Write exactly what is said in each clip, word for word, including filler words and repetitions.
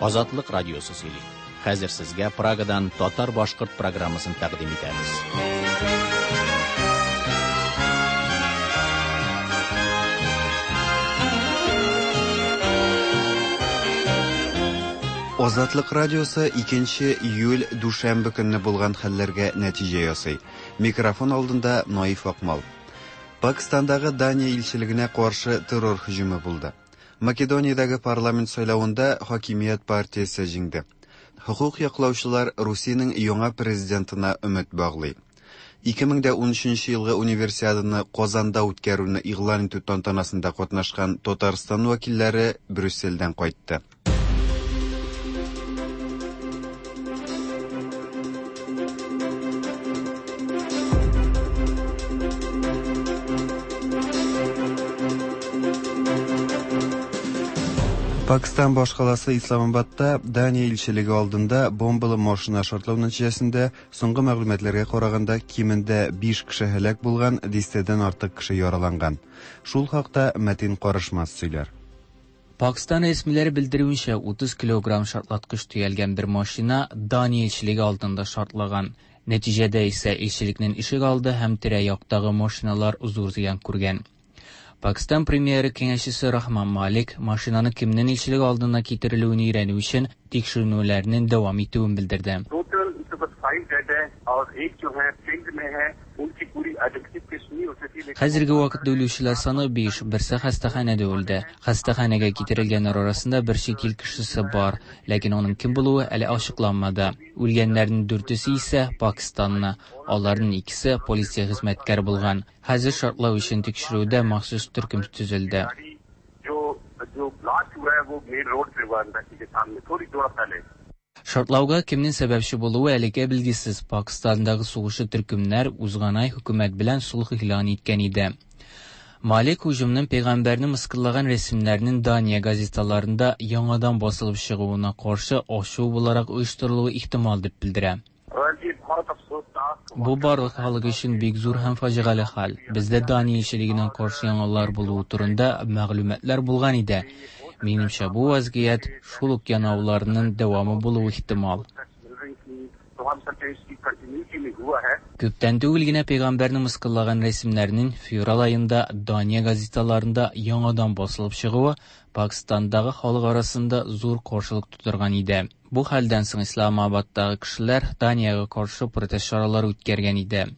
Азатлык радиосы сөйли. Хәзер сезгә Прагадан татар-башкорт программасын тәкъдим итәбез. Азатлык радиосы икенче июль дүшәмбе көнне булган хәлләргә нәтиҗә ясый. Микрофон алдында Наиф Акмал. Пакистандагы Дания илчелегенә каршы террор һөҗүме булды. Македониядәге парламент сайлавында хакимият партиясе җиңде. Хокук яклаучылар Русиянең яңа президентына өмет баглый. ике мең дә унөченче елгы универсиаданы Казанда үткәрүне игълан итү тантанасында катнашкан Татарстан вәкилләре Брюссельдән кайтты. Пакистан башкаласы Исламабадта Дания илчелеге алдында бомбалы машина шартлау нәтиҗәсендә соңгы мәгълүматларга караганда кимендә биш кеше һәлак булган, дистәдән артык кеше яраланган. Шул хакта Мәтин Карышмас сөйләр. Пакистан рәсмиләре белдерүенчә, утыз килограмм шартлаткыч төялгән бер машина Дания илчелеге алдында шартлаган. Нәтиҗәдә исә илчелекнең ишек алды һәм тирә-яктагы машиналар зур зыян күргән. Пакистан премьеры киңәшчесе Рахман Малик машинаны кемнең илчелек алдына китерелүен өйрәнү өчен тикшеренүләрнең дәвам итүен белдерде. Хәзерге вакытта үлүчеләр саны биш, берсе хастаханәдә үлде. Хастаханәгә китерелгәннәр арасында бер чит ил кешесе бар, ләкин аның кем булуы әле ачыкланмады. Үлгәннәрнең дүртесе исә Пакистанны, аларның икесе полиция хезмәткәре булган. Хәзер шартлау өчен тикшерүдә махсус төркем төзелде. Шартлауга кемнең сәбәпче булуы әлегә билгесез. Пакистандагы сугышчы төркемнәр узган ай хөкүмәт белән сулх игълан иткән иде. Малик һөҗүмнең пәйгамбәрне мыскыллаган рәсемнәрнең Дания газеталарында яңадан басылып чыгуына каршы ачу буларак оештырылуы ихтимал дип белдерә. Бу барлык халык өчен бик зур һәм фаҗигале хәл. Бездә Дания илчелегенә каршы яңалар булуы турында мәгълүматлар булган иде. Минемчә, бу вазгыять шул ук янауларның дәвамы булуы ихтимал. Күптән түгел генә пәйгамбәрне мыскыллаган рәсемнәрнең февраль аенда Дания газеталарында яңадан басылып чыгуы Пакистандагы халык арасында зур каршылык тудырган иде. Бу хәлдән соң Исламабадтагы кешеләр Даниягә каршы протест чаралары үткәргән иде.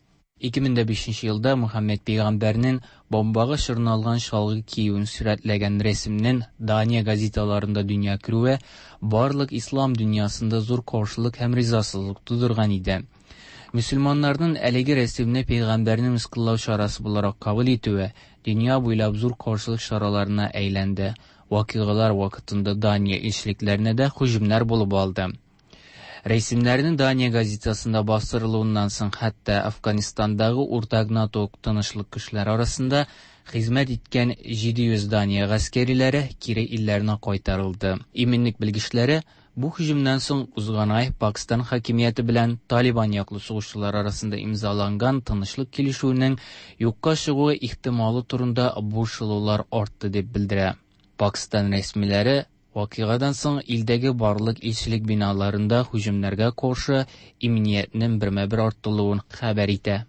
ике мең дә бишенче елда Мөхәммәд пәйгамбәрнең бомбага чорналган чалгы киюен сурәтләгән рәсемнең Дания газеталарында дөнья күрүе барлык ислам дөньясында зур каршылык һәм ризасызлык тудырган иде. Мөселманнарның әлеге рәсемне пәйгамбәрне мыскыллау чарасы буларак кабул итүе дөнья буйлап зур каршылык чараларына әйләнде. Вакыйгалар вакытында Дания илчелекләренә дә һөҗүмнәр булып алды. Рәсемнәрнең Дания газетасында бастырылуыннан соң хәтта Афганистандагы уртак НАТО тынычлык көчләре арасында хезмәт иткән җиде йөз Дания гаскәриләре кире илләренә кайтарылды. Иминлек белгечләре бу һөҗүмнән соң узган ай Пакистан хакимияте белән Талибан яклы сугышчылар арасында имзаланган тынычлык килешүенең юкка чыгуы ихтималы турында борчылулар артты дип белдерә. Пакистан рәсмиләре вакыйгадан соң илдәге барлык илчелек биналарында һөҗүмнәргә каршы иминиятнең бермә-бер артылуын хәбәр итә.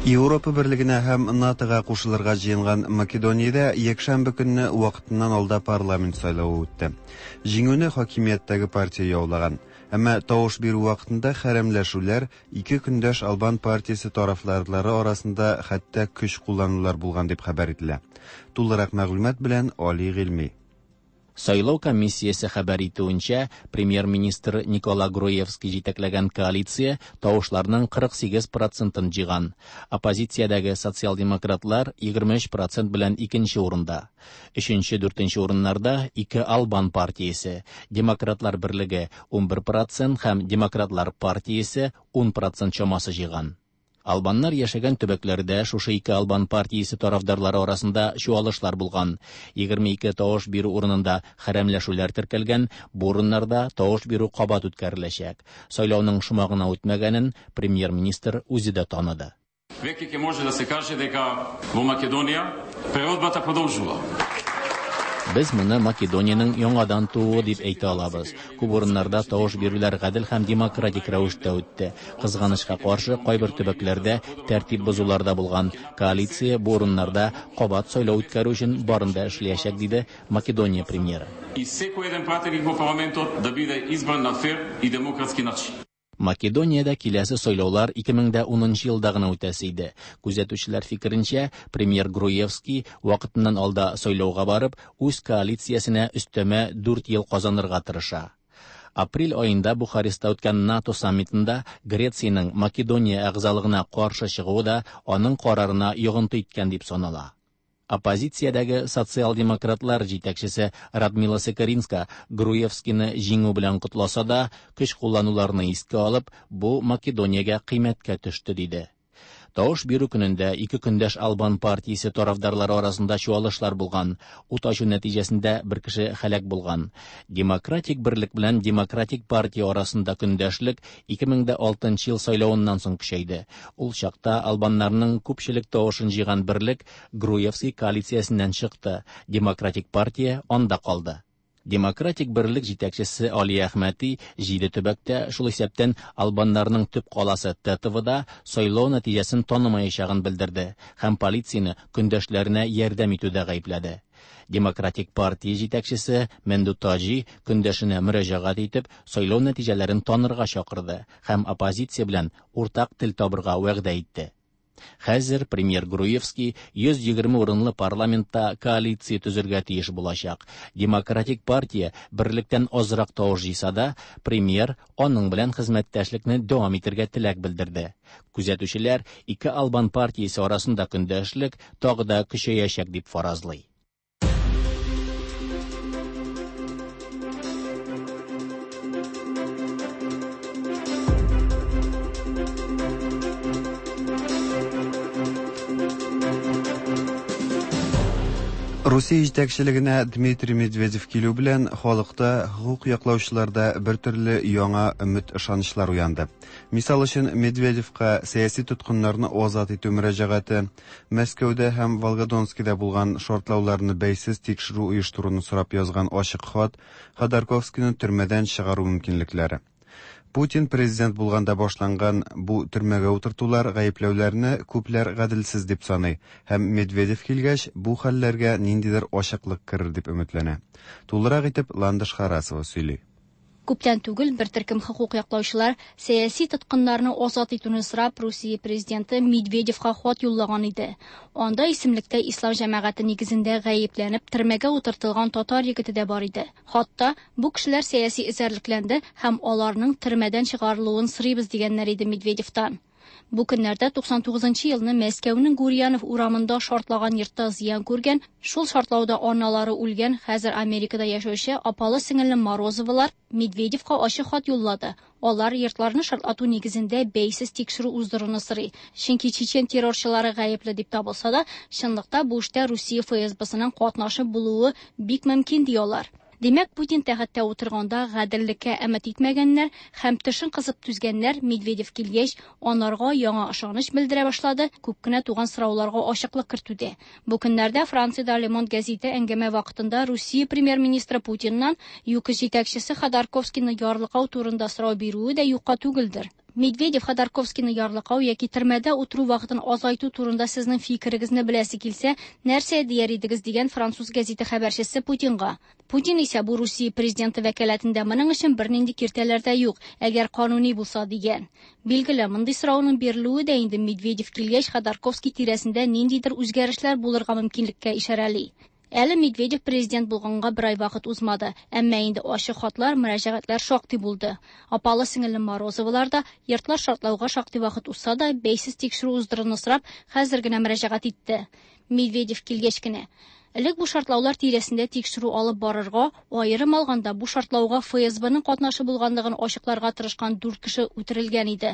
Европа берлегенә һәм НАТОга кушылырга җыенган Македониядә якшәмбе көнне вакытыннан алда парламент сайлавы үтте. Җиңүне хакимияттәге партия яулаган. Әмма тавыш бирү вакытында хәрәмләшүләр ике көндәш Албан партиясе тарафдарлары арасында хәтта көч кулланулар булган дип хәбәр ителә. Тулырак мәгълүмат белән Али Гыйльми. Сайлау комиссиясе хәбәр итүенчә, премьер-министр Никола Груевский җитәкләгән коалиция тавышларның кырык сигез процентын җыйган. Оппозициядәге социал-демократлар егерме өч процент белән икенче урында. Өченче, дүртенче урыннарда ике Албан партиясе, Демократлар берлеге ун бер процент һәм Демократлар партиясе ун процент чамасы җыйган. Албаннар яшәгән төбәкләрдә шушы ике албан партиясе тарафдарлары арасында чуалышлар булган. Егерме ике тавыш бирү урынында хәрәмләшүләр теркәлгән, бу урыннарда тавыш бирү кабат үткәреләчәк. Сайлауның шома гына үтмәгәнен премьер-министр үзе дә таныды. Веќе ќе може да се каже дека во Македонија преродбата продолжува. Без моны Македониянең яңадан тууы дип әйтә алабыз. Күп урыннарда тавыш бирүләр гадел һәм демократик рәвештә үтте. Кызганычка каршы, кайбер төбәкләрдә тәртип бозулар да булган. Коалиция бу урыннарда кабат сайлау үткәрү өчен барын да эшләячәк, диде Македония премьеры. И секој еден пратеник во парламентот да биде избран на фер и демократски начин. Македониядә киләсе сайлаулар ике мең дә унынчы елда гына үтәсе иде. Күзәтүчеләр фикеренчә, премьер Груевский вакытыннан алда сайлауга барып, үз коалициясенә өстәмә дүрт ел казанырга тырыша. Апрель аенда Бухареста үткән НАТО саммитында Грециянең Македония әгъзалыгына каршы чыгуы да аның карарына йогынты иткән дип санала. Оппозициядәге социал-демократлар җитәкчесе Радмила Секеринска Груевскийны җиңү белән котласа да, көч куллануларны искә алып, бу Македониягә кыйммәткә төште, диде. Тавыш бирү көнендә ике көндәш албан партиясе тарафдарлары арасында чуалышлар булган. Ут ачу нәтиҗәсендә бер кеше һәлак булган. Демократик берлек белән Демократик партия арасында көндәшлек ике мең дә алтынчы ел сайлавыннан соң көчәйде. Ул чакта албаннарның күпчелек тавышын җыйган берлек Груевский коалициясеннән чыкты. Демократик партия анда калды. Демократик берлек җитәкчесе Али Әхмәти җиде төбәктә, шул исәптән албаннарның төп каласы Тетовода сайлау нәтиҗәсен танымаячагын белдерде һәм полицияне көндәшләренә ярдәм итүдә гаепләде. Демократик партия җитәкчесе Менду Таҗи көндәшенә мөрәҗәгать итеп, сайлау нәтиҗәләрен танырга чакырды һәм оппозиция белән уртак тел табырга вәгъдә итте. Хәзер премьер Груевский йөз егерме урынлы парламентта коалиция төзергә тиеш булачак. Демократик партия берлектән азрак тавыш җыйса да, премьер аның белән хезмәттәшлекне дәвам итәргә теләк белдерде. Күзәтүчеләр ике албан партиясе арасында көндәшлек тагы да көчәячәк дип фаразлый. Русия җитәкчелегенә Дмитрий Медведев килү белән халыкта, хукук яклаучыларда бер төрле яңа өмет ышанычлар уянды. Мисал өчен, Медведевка сәяси тоткыннарны азат итү мөрәҗәгате, Мәскәүдә һәм Волгодонскида булган шартлауларны бәйсез тикшерү оештыруны сорап язган ачык хат, Ходорковскийны төрмәдән чыгару мөмкинлекләре. Путин президент булганда башланган бу төрмәгә утыртулар гаепләүләрне күпләр гаделсез дип саный һәм Медведев килгәч бу хәлләргә ниндидер ачыклык керер дип өметләнә. Тулырак итеп Ландыш Харасова сөйли. Күптән түгел бер төркем хукук яклаучылар сәяси тоткыннарны азат итүне сорап Русия президенты Медведевка хат юллаган иде. Анда исемлектә ислам җәмәгате нигезендә гаепләнеп төрмәгә утыртылган татар егете дә бар иде. Хатта бу кешеләр сәяси эзәрлекләнде һәм аларның төрмәдән чыгарылуын сорыйбыз дигәннәр иде Медведевтан. Бу көннәрдә туксан тугызынчы елны Мәскәүнең Гурьянов урамында шартлаган йортта зыян күргән, шул шартлауда аналары үлгән, хәзер Америкада яшәүче апалы сеңелле Морозовалар Медведевка ачык хат юллады. Алар йортларны шартлату нигезендә бәйсез тикшерү уздыруны сорый. Чөнки чечен террорчылары гаепле дип табылса да, чынлыкта бу эштә Русия эф эс бесының катнашы булуы бик мөмкин ди алар. Димәк, Путин тәхеттә утырганда гаделлеккә өмет итмәгәннәр һәм тешен кысып түзгәннәр Медведев килгәч, анарга яңа ышаныч белдерә башлады, күп кенә туган сорауларга ачыклык кертүдә. Бу көннәрдә Франциядә Le Monde гәзите әңгәмә вакытында Русия премьер-министры Путиннан ЮКОС җитәкчесе Ходорковскийны ярлыкау турында сорау бирүе дә юкка түгелдер. Медведев Ходорковскийны ярлыкау яки төрмәдә утыру вакытын азайту турында сезнең фикерегезне беләсе килсә, нәрсә дияр идегез дигән француз гәзите хәбәрчесе Путинга. Путин исә бу Русия президенты вәкаләтендә моның өчен бернинди киртәләр дә юк, әгәр кануни булса дигән. Билгеле, мондый сорауның бирелүе дә инде Медведев килгәч Ходорковский тирәсендә ниндидер үзгәрешләр булырга мөмкинлеккә ишарәли. Әле Медведев президент булганга бер ай вакыт узмады, әмма инде ачык хатлар, мөрәҗәгатьләр шактый булды. Апалы сеңелле Морозовалар да йортлар шартлауга шактый вакыт узса да, бәйсез тикшерү уздыруны сорап, хәзер генә мөрәҗәгать итте. Медведев килгәч кенә. Элек бу шартлаулар тирәсендә тикшерү алып барырга, аерым алганда бу шартлауга эф эс бэның катнашы булганлыгын ачыкларга тырышкан дүрт кеше үтерелгән иде.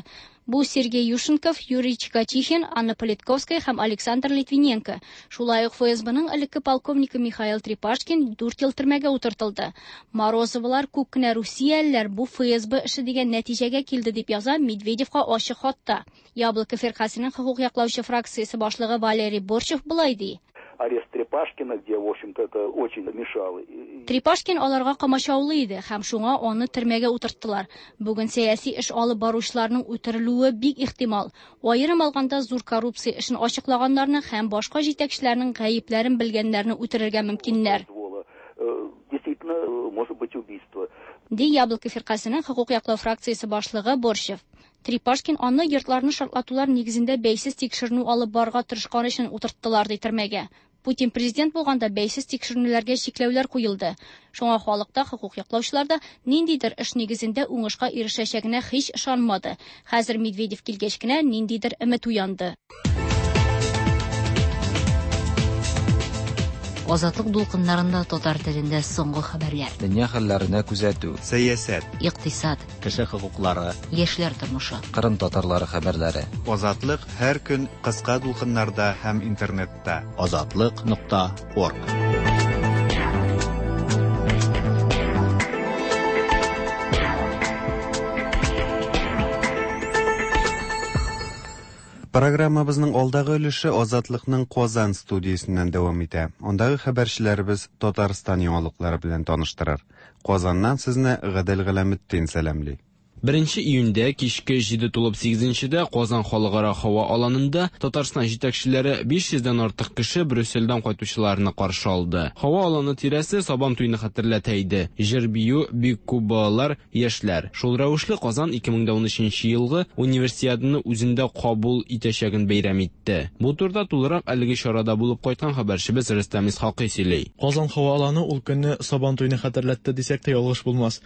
Бу Сергей Юшенков, Юрий Чикатихин, Анна Политковская һәм Александр Литвиненко. Шулай ук эф эс бэның элекке полковнигы Михаил Трепашкин дүрт ел төрмәгә утыртылды. Морозовалар күп кенә русиялеләр бу эф эс бэ эше дигән нәтиҗәгә килде дип яза Медведевка ачык хатта. Яблоко фиркасының хокук яклаучы фракциясе башлыгы Валерий Борщев болай ди. Арест Трепашкина, где, в общем-то, это очень мешало. Трепашкин аларга комачаулы иде һәм шуңа аны төрмәгә утырттылар. Бүген сәяси эш алып баручыларның үтерелүе бик ихтимал. Аерым алганда зур коррупция эшен ачыклаганнарны һәм башка җитәкчеләрнең гаепләрен белгәннәрне үтерергә мөмкиннәр. Действительно, может быть убийство. Ди Яблоко фиркасының хокук яклау фракциясе башлыгы Борщев. Трепашкин аны йортларны шартлатулар нигезендә бәйсез тикшеренү алып барырга тырышкан өчен утырттылар ди төрмәгә. Путин президент булганда бәйсез тикшеренүләргә чикләүләр куелды. Шуңа халыкта хокук яклаучылар да ниндидер эш нигезендә уңышка ирешәчәгенә һич ышанмады. Хәзер Медведев килгәч кенә ниндидер өмет уянды. Азатлык дулкыннарында татар телендә соңгы хәбәрләр. Дөнья хәлләренә күзәтү. Сәясәт, икътисад, кеше хокуклары, яшьләр тормышы. Кырым татарлары хәбәрләре. Азатлык һәр көн кыска дулкыннарда һәм интернетта. Азатлык нокта орг. Программабызның алдагы өлеше Азатлыкның Казан студиясеннән дәвам итә. Андагы хәбәрчеләребез Татарстан яңалыклары белән таныштырыр. Казаннан сезне Гадел Галәметдин сәламли. Беренче июньдә кичке җиде тулып сигезенчедә Казан халыкара һава аланында Татарстан җитәкчеләре биш йөздән артык кеше Брюссельдән кайтучыларны каршы алды. Һава аланы тирәсе Сабан туйны хәтерләтә иде. Җыр бию, бик күп балалар, яшьләр. Шул рәвешле Казан ике мең дә унөченче елгы универсиаданы үзендә кабул итәчәген бәйрәм итте. Бу турыда тулырак әлеге чарада булып кайткан хәбәрчебез Рөстәм Исхакый сөйли. Казан һава аланы ул көнне Сабан туйны хәтерләтте дисәк тә ялгыш булмас.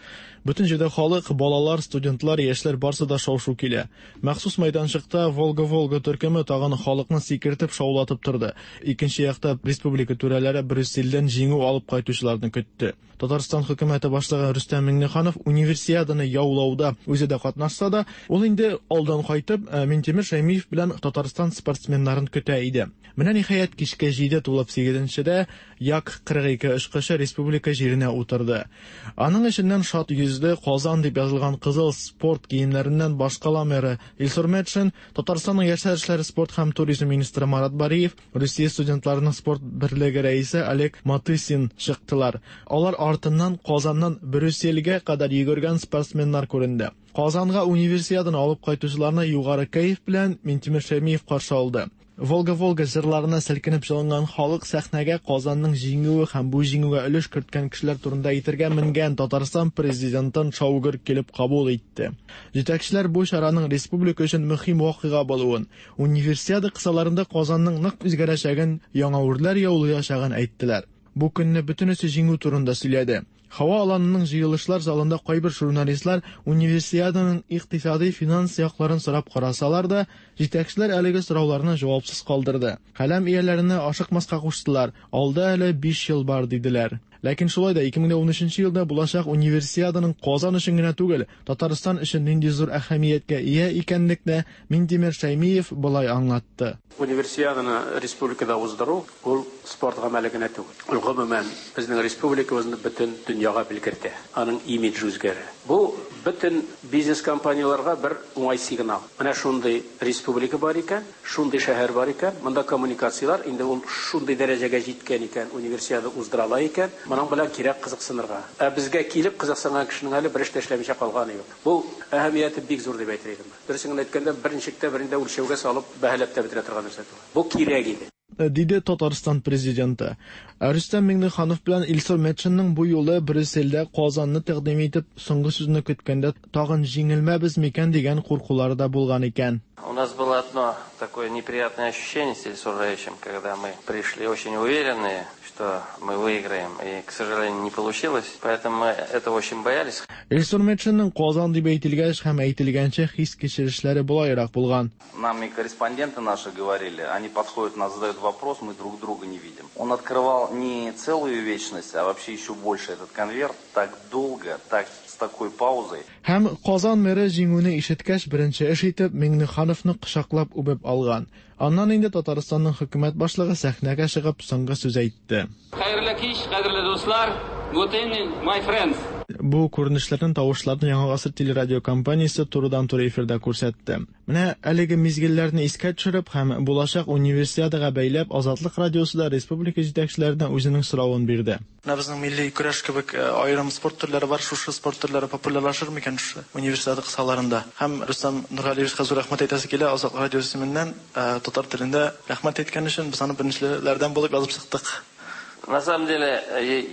Бөтен җирдә халык, балалар, студентлар, яшьләр барсы да шау-шу килә. Махсус мәйданчыкта Волга-Волга төркеме тагын халыкны сикертеп шаулатып торды. Икенче якта республика түрәләре Брюссельдән җиңү алып кайтучыларны көтте. Татарстан хөкүмәте башлыгы Рөстәм Миңнеханов универсиаданы яулауда үзе дә катнашса да, ул инде алдан кайтып Минтимер Шәймиев белән Татарстан спортсменнарын көтә иде. Менә ниһаять кичке җиде тулып сигезенчедә Як кырык ике очкычы республика җиренә утырды. Аның эченнән шат йөзле Казан дип язылган кызыл спорт киемнәреннән башкала мэры Илсур Метшин, Татарстанның яшьләр эшләре, спорт һәм туризм министры Марат Бариев, Русия студентларының спорт берлеге рәисе Олег Матысин чыктылар. Алар артыннан Казаннан Брюссельгә кадәр йөгергән спортсменнар күренде. Казанга универсиаданы алып кайтучыларны югары кәеф белән Минтимер Шәймиев каршы алды. Волга-Волга җырларына селкенеп җылынган халык сәхнәгә Казанның җиңүе һәм бу җиңүгә өлеш керткән кешеләр турында әйтергә менгән Татарстан президентын шаугыр килеп кабул итте. Җитәкчеләр бу чараның республика өчен мөһим вакыйга булуын, универсиада кысаларында Казанның нык үзгәрәчәген, яңа үрләр яулаячагын әйттеләр. Бу көнне бөтенесе җиңү турында сөйләде. Һава аланының җыелышлар залында кайбер журналистлар универсиаданың икътисади финанс якларын сорап карасалар да, җитәкчеләр әлеге сорауларны җавапсыз калдырды. Каләм ияләренә ашыкмаска куштылар. Алда әле биш ел бар диделәр. Ләкин шулай да ике мең дә унөченче елда булачак универсиаданың Казан өчен генә түгел, Татарстан өчен нинди зур әһәмияткә ия икәнлекне Минтимер Шәймиев болай аңлатты. Универсиаданы республикада уздыру ул спорт гамәле генә түгел. Ул гомумән безнең республикабызны бөтен дөньяга белгертә. Аның имиджы үзгәрә. Бу бөтен бизнес компанияләргә бер уңай сигнал. Менә шундый республика бар икән, шундый шәһәр бар икән, монда коммуникацияләр инде ул шундый дәрәҗәгә җиткән икән, универсиада уздыра ала икән, моның белән кирәк кызыксынырга. Ә безгә килеп кызыксынган кешенең әле бер эш тә эшләмичә калганы юк. Бу әһәмияте бик зур дип әйтер идем. Дөресен генә әйткәндә, берничек тә берендә үлчәүгә салып бәһаләп тә бетерә торган нәрсә түгел. Бу кирәк иде. Диде Татарстан президенты. Рөстәм Миңнеханов белән Илсур Метшинның бу юлы Брюссельдә Казанны тәкъдим итеп, соңгы сүзне көткәндә тагын җиңелмәбез микән дигән куркулары да булган икән. У нас была Было одно такое неприятное ощущение с Ильсуром Раевичем, когда мы пришли очень уверенные, что мы выиграем, и, к сожалению, не получилось, поэтому мы этого очень боялись. Илсур Метшинның Казан дип әйтелгәч һәм әйтелгәнче хис-кичерешләре болайрак булган. Нам и корреспонденты наши говорили, они подходят, нас задают вопрос, мы друг друга не видим. Он открывал не целую вечность, а вообще еще больше этот конверт, так долго, так с такой паузой. Һәм Казан мэры җиңүне ишеткәч, беренче эш итеп Миңнехановны кочаклап үбеп алган. Аннан инде Татарстанның хөкүмәт башлыгы сәхнәгә чыгып соңгы сүз әйтте. Хәерле кич, кадерле дуслар. Good evening, my friends. Бу күренешләрнең тавышларын Яңа гасыр телерадиокомпаниясе турыдан-туры эфирда күрсәтте. Менә әлеге мизгелләрне искә төшереп һәм булачак универсиадага бәйләп Азатлык радиосы да республика җитәкчеләренә үзенең соравын бирде. Менә безнең милли көрәш кебек аерым спорт төрләре бар, шушы спорт төрләре популярлашыр микән шушы универсиада кысаларында? Һәм Рөстәм Нургалиевичка зур рәхмәт әйтәсе килә, Азатлык радиосы исеменнән татар телендә рәхмәт әйткән өчен без аны беренчеләрдән булып язып чыктык. На самом деле,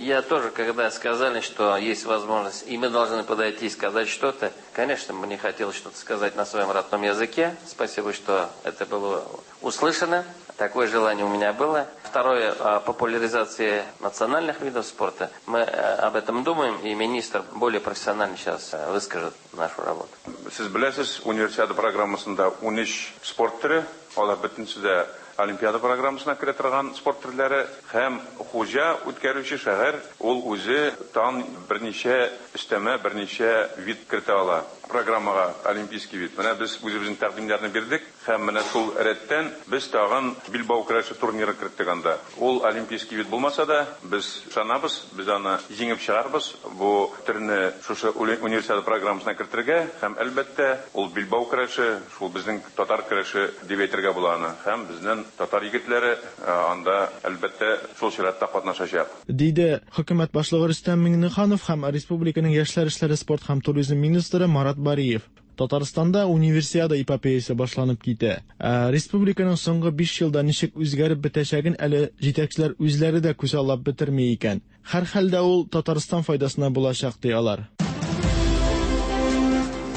я тоже, когда сказали, что есть возможность, и мы должны подойти и сказать что-то, конечно, мне хотелось что-то сказать на своем родном языке. Спасибо, что это было услышано. Такое желание у меня было. Второе, популяризация национальных видов спорта. Мы об этом думаем, и министр более профессионально сейчас выскажет нашу работу. Сез беләсез, универсиада программасында ун өч спорт төре, алар бөтенесе дә Олимпиада программасына керә торган спорт төрләре һәм хуҗа үткәрүче шәһәр ул үзе тагын берничә өстәмә, берничә вид кертә ала программага, олимпийский вид. Менә без үзебезнең тәкъдимнәрне бирдек һәм менә шул рәттән без тагын билбау көрәше турниры керттек анда. Ул олимпийский вид булмаса да, без ышанабыз, без аны җиңеп чыгарбыз. Бу төрне шушы универсиада программасына кертергә һәм әлбәттә ул билбау көрәше, шул безнең татар көрәше дип әйтергә була аны. Һәм безнең татар егетләре анда әлбәттә шул чиратта катнашачак. Диде хөкүмәт башлыгы Рөстәм Миңнеханов һәм республиканың яшьләр эшләре, спорт һәм туризм министры Марат Бариев. Татарстанда универсиада эпопеясы башланып китә. Республиканың соңгы биш елда ничек үзгәреп бетәчәген әле җитәкчеләр үзләре дә күзаллап бетерми икән. Һәр хәлдә ул Татарстан файдасына булачак ди алар.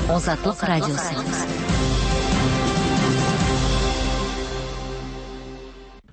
Азатлык радиосы.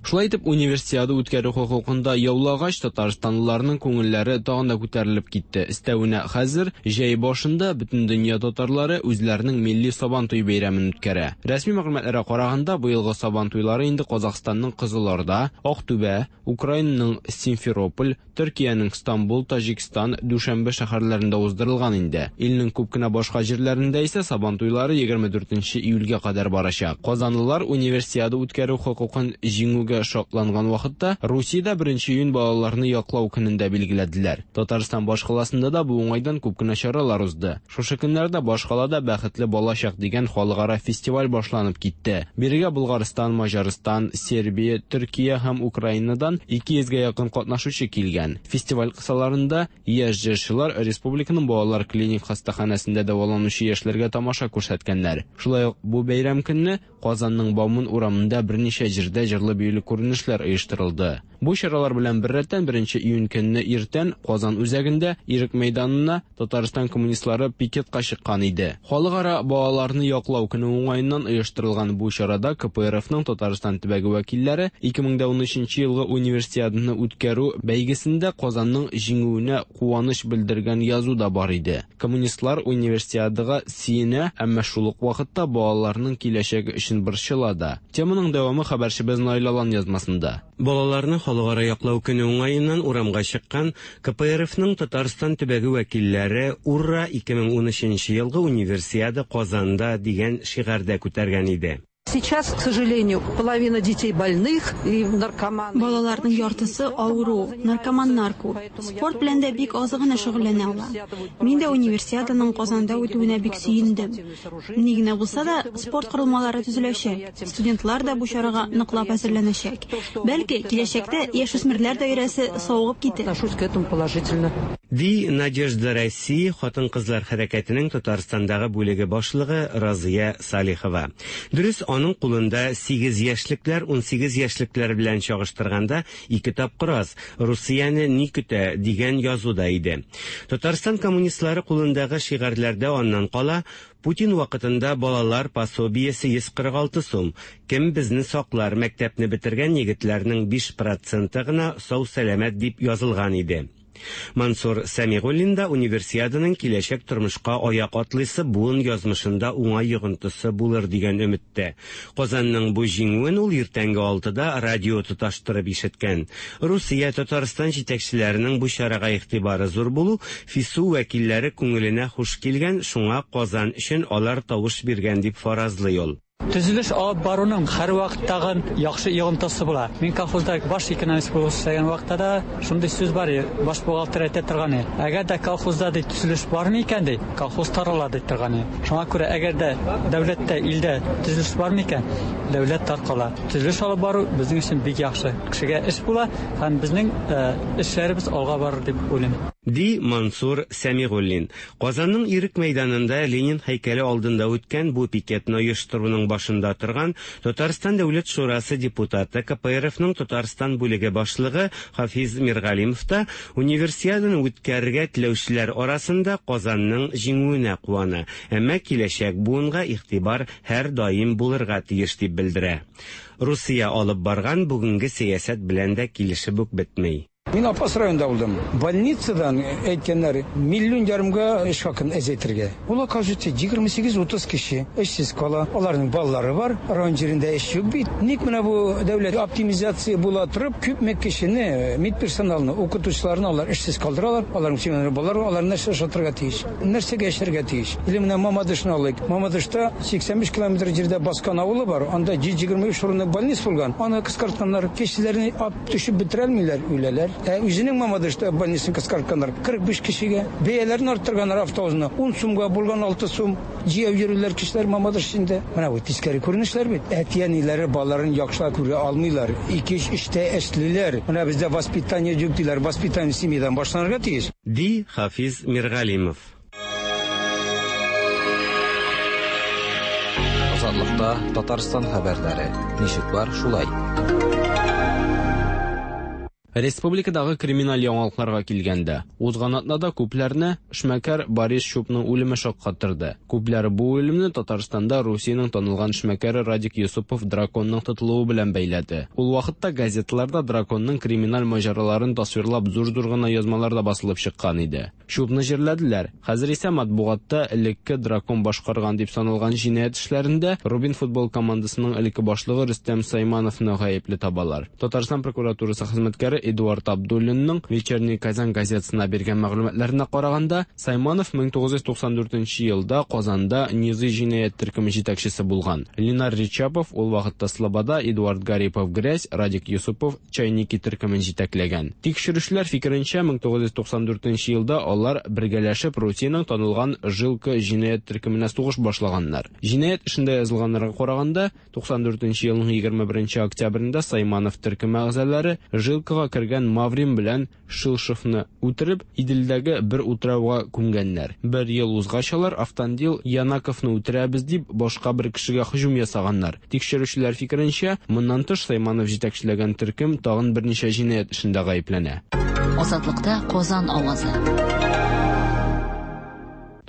Шулай итеп, универсиада үткәрү хокукында яулагач, татарстанлыларның күңелләре тагын да күтәрелеп китте. Өстәвенә хәзер җәй башында бөтен дөнья татарлары үзләренең милли Сабантуй бәйрәмен үткәрә. Рәсми мәгълүматларга караганда, быелгы Сабантуйлары инде Казахстанның Кызылорда, Актүбә, Украинаның Симферополь, Төркиянең Стамбул, Таҗикстан, Дүшәнбе шәһәрләрендә уздырылган инде. Илнең күп кенә башка җирләрендә исә Сабантуйлары егерме дүртенче июльгә кадәр барачак. Казанлылар универсиада үткәрү хокукын җиңүгә шатланган вакытта Русиядә беренче июнь балаларны яклау көнендә билгеләделәр. Татарстан башкаласында да бу уңайдан күп кенә чаралар узды. Шушы көннәрдә башкалада Бәхетле балачак дигән халыкара фестиваль башланып китте. Бирегә Булгарстан, Маҗарстан, Сербия, Төркия һәм Украинадан ике йөзгә якын катнашучы килгән. Фестиваль кысаларында яшь җырчылар республиканың балалар клиник хастаханәсендә дәваланучы яшьләргә тамаша күрсәткәннәр. Шулай ук бу бәйрәм көнне Казанның Бауман урамында берничә җирдә җырлы-биюле күренешләр оештырылды. Бу чаралар белән беррәттән беренче июнь көнне иртән Казан үзәгендә Ирек мәйданына Татарстан коммунистлары пикетка чыккан иде. Халыкара балаларны яклау көне уңаеннан оештырылган бу чарада К П Р Фның Татарстан төбәге вәкилләре ике мең дә унөченче елгы универсиаданы үткәрү бәйгесендә Казанның җиңүенә куаныч белдергән язу да бар иде. Коммунистлар универсиадага сөенә, әмма шул ук вакытта балаларның киләчәге өчен борчыла да. Теманың дәвамы хәбәрчебез Наил Алан язмасында. Балаларны халыкара яклау көне уңаеннан урамга чыккан К П Р Фның Татарстан төбәге вәкилләре «Ура! ике мең унөченче елгы универсиада Казанда» дигән шигарьдә күтәргән иде. Сейчас, к сожалению, половина детей больных и наркоманы. Балаларның яртысы авыру, наркоманнар күп. Спорт белән дә бик аз гына шөгыльләнә ала. Мин дә универсиаданың Казанда үтүенә бик сөендем. Ни генә булса да, спорт корылмалары төзеләчәк. Студентлар да бу чарага ныклап әзерләнәчәк. Бәлки, киләчәктә яшүсмерләр даирәсе савыгып китер. Отношусь к этому положительно. Ди Надежда России хатын-кызлар хәрәкәтенең Татарстандагы бүлеге башлыгы Разия Салихова. Дөрес, Аның кулында сигез яшьлекләр унсигез яшьлекләр белән чагыштырганда ике тапкыр аз. Русияне ни көтә дигән язу да иде. Татарстан коммунистлары кулындагы шигарьләрдә аннан кала Путин вакытында балалар пособиесе йөз кырык алты сум. Кем безне саклар, мәктәпне бетергән егетләрнең биш проценты гына сау-сәламәт дип язылган иде. Мансур Сәмигуллин да универсиаданың киләчәк тормышка аяк атлыйсы буын язмышында уңай йогынтысы булыр дигән өметтә. Казанның бу җиңүен ул иртәнге алтыда радио тоташтырып ишеткән. Русия, Татарстан җитәкчеләренең бу чарага игътибары зур булу ФИСУ вәкилләре күңеленә хуш килгән, шуңа Казан өчен алар тавыш биргән дип фаразлый ул. Төзелеш алып баруның һәр вакыттагы яхшы йогынтысы була. Мин колхозда баш экономист булып эшләгән вакытта да шундый сүз бар, баш бухгалтер әйтә торган. Әгәр дә колхозда ди төзелеш бармы икән ди, колхоз тарала ди торган. Шуңа күрә әгәр дә дәүләттә, илдә төзелеш бармы икән, дәүләт таркала. Төзелеш алып бару безнең өчен бик яхшы. Кешегә эш була һәм безнең эшләребез алга барыр дип уйлыйм. Ди Мансур Сәмигуллин. Казанның Ирек мәйданында Ленин һәйкәле алдында үткән бу пикетны оештыруның башында торган Татарстан Дәүләт Шурасы депутаты, К П Р Фның Татарстан бүлеге башлыгы Хафиз Миргалимов та универсиаданы үткәрергә теләүчеләр арасында Казанның җиңүенә куана. Әмма киләчәк буынга игътибар һәр даим булырга тиеш дип белдерә. Русия алып барган бүгенге сәясәт белән дә килешеп үк бетми. Мин Апас районында булдым. Больницадан әйткәннәр миллион ярымга эш хакын әзәйтергә. Ул оказывается егерме сигез утыз кеше эшсез кала. Аларның балалары бар, район җирендә эш юк бит. Ник менә бу дәүләт оптимизация була торып, күпме кешене, медперсоналны, укытучыларны алар эшсез калдыралар. Аларның семьялары балалары, алар нәрсә ашатырга тиеш, нәрсәгә эшләргә тиеш. Или менә Мамадышны алыйк. Мамадышта сиксән биш километр җирдә Баскан авылы бар. Анда йөз егерме өч урынлык больница булган. Аны кыскартканнар, кешеләрне ап төшеп бетерәлмиләр, үләләр. Ә үзенең Мамадышта больницаны кыскартканнар кырык биш кешегә. Бәяләрен арттырганнар автобусны ун сумга булган алты сум. Җыяп йөриләр кешеләр Мамадыш эчендә. Менә бу тискәре күренешләр бит. Әти-әниләре балаларын яхшылап күрә алмыйлар. Ике-өч эштә эшлиләр. Менә бездә воспитание юк диләр. Воспитание семьядан башланырга тиеш. Ди Хафиз Миргалимов. Азатлыкта Татарстан хәбәрләре. Ничек бар, шулай. Республикадагы криминаль яңалыкларга килгәндә, узган атнада күпләрне эшмәкәр Борис Чупның үлеме шаккаттырды. Күпләр бу үлемне Татарстанда Русиянең танылган эшмәкәре Радик Юсупов драконның тотылуы белән бәйләде. Ул вакытта газеталарда драконның криминаль маҗараларын тасвирлап зур-зур гына язмалар да басылып чыккан иде. Чупны җирләделәр. Хәзер исә матбугатта элекке дракон башкарган дип саналган җинаять эшләрендә Рубин футбол командасының элекке башлыгы Рөстәм Саймановны гаепле табалар. Татарстан прокуратурасы хезмәткәре Эдуард Абдуллинның Вечерний Казан газетасына биргән мәгълүматларына караганда, Сайманов мең тугыз йөз туксан дүртенче елда Казанда Низы җинаять төркеме җитәкчесе булган. Ленар Ричапов ул вакытта Слобода, Эдуард Гарипов Грязь, Радик Юсупов Чайники төркемен җитәкләгән. Тикшерүчеләр фикеренчә, мең тугыз йөз туксан дүртенче елда алар бергәләшеп Русиянең танылган Жилка җинаять төркеменә сугыш башлаганнар. Җинаять эшендә язылганнарга караганда, туксан дүртенче елның егерме беренче октябрендә Сайманов төркеме әгъзалары Жилкага кергән Маврин белән Шилшевны үтереп, Иделдәге бер утрауга күмгәннәр. Бер ел узгач алар Автандил Янаковны үтерәбез дип башка бер кешегә һөҗүм ясаганнар. Тикшерүчеләр фикеренчә, моннан тыш Сайманов җитәкчеләгән төркем тагын берничә җинаять эшендә гаепләнә. Азатлыкта Казан авазы.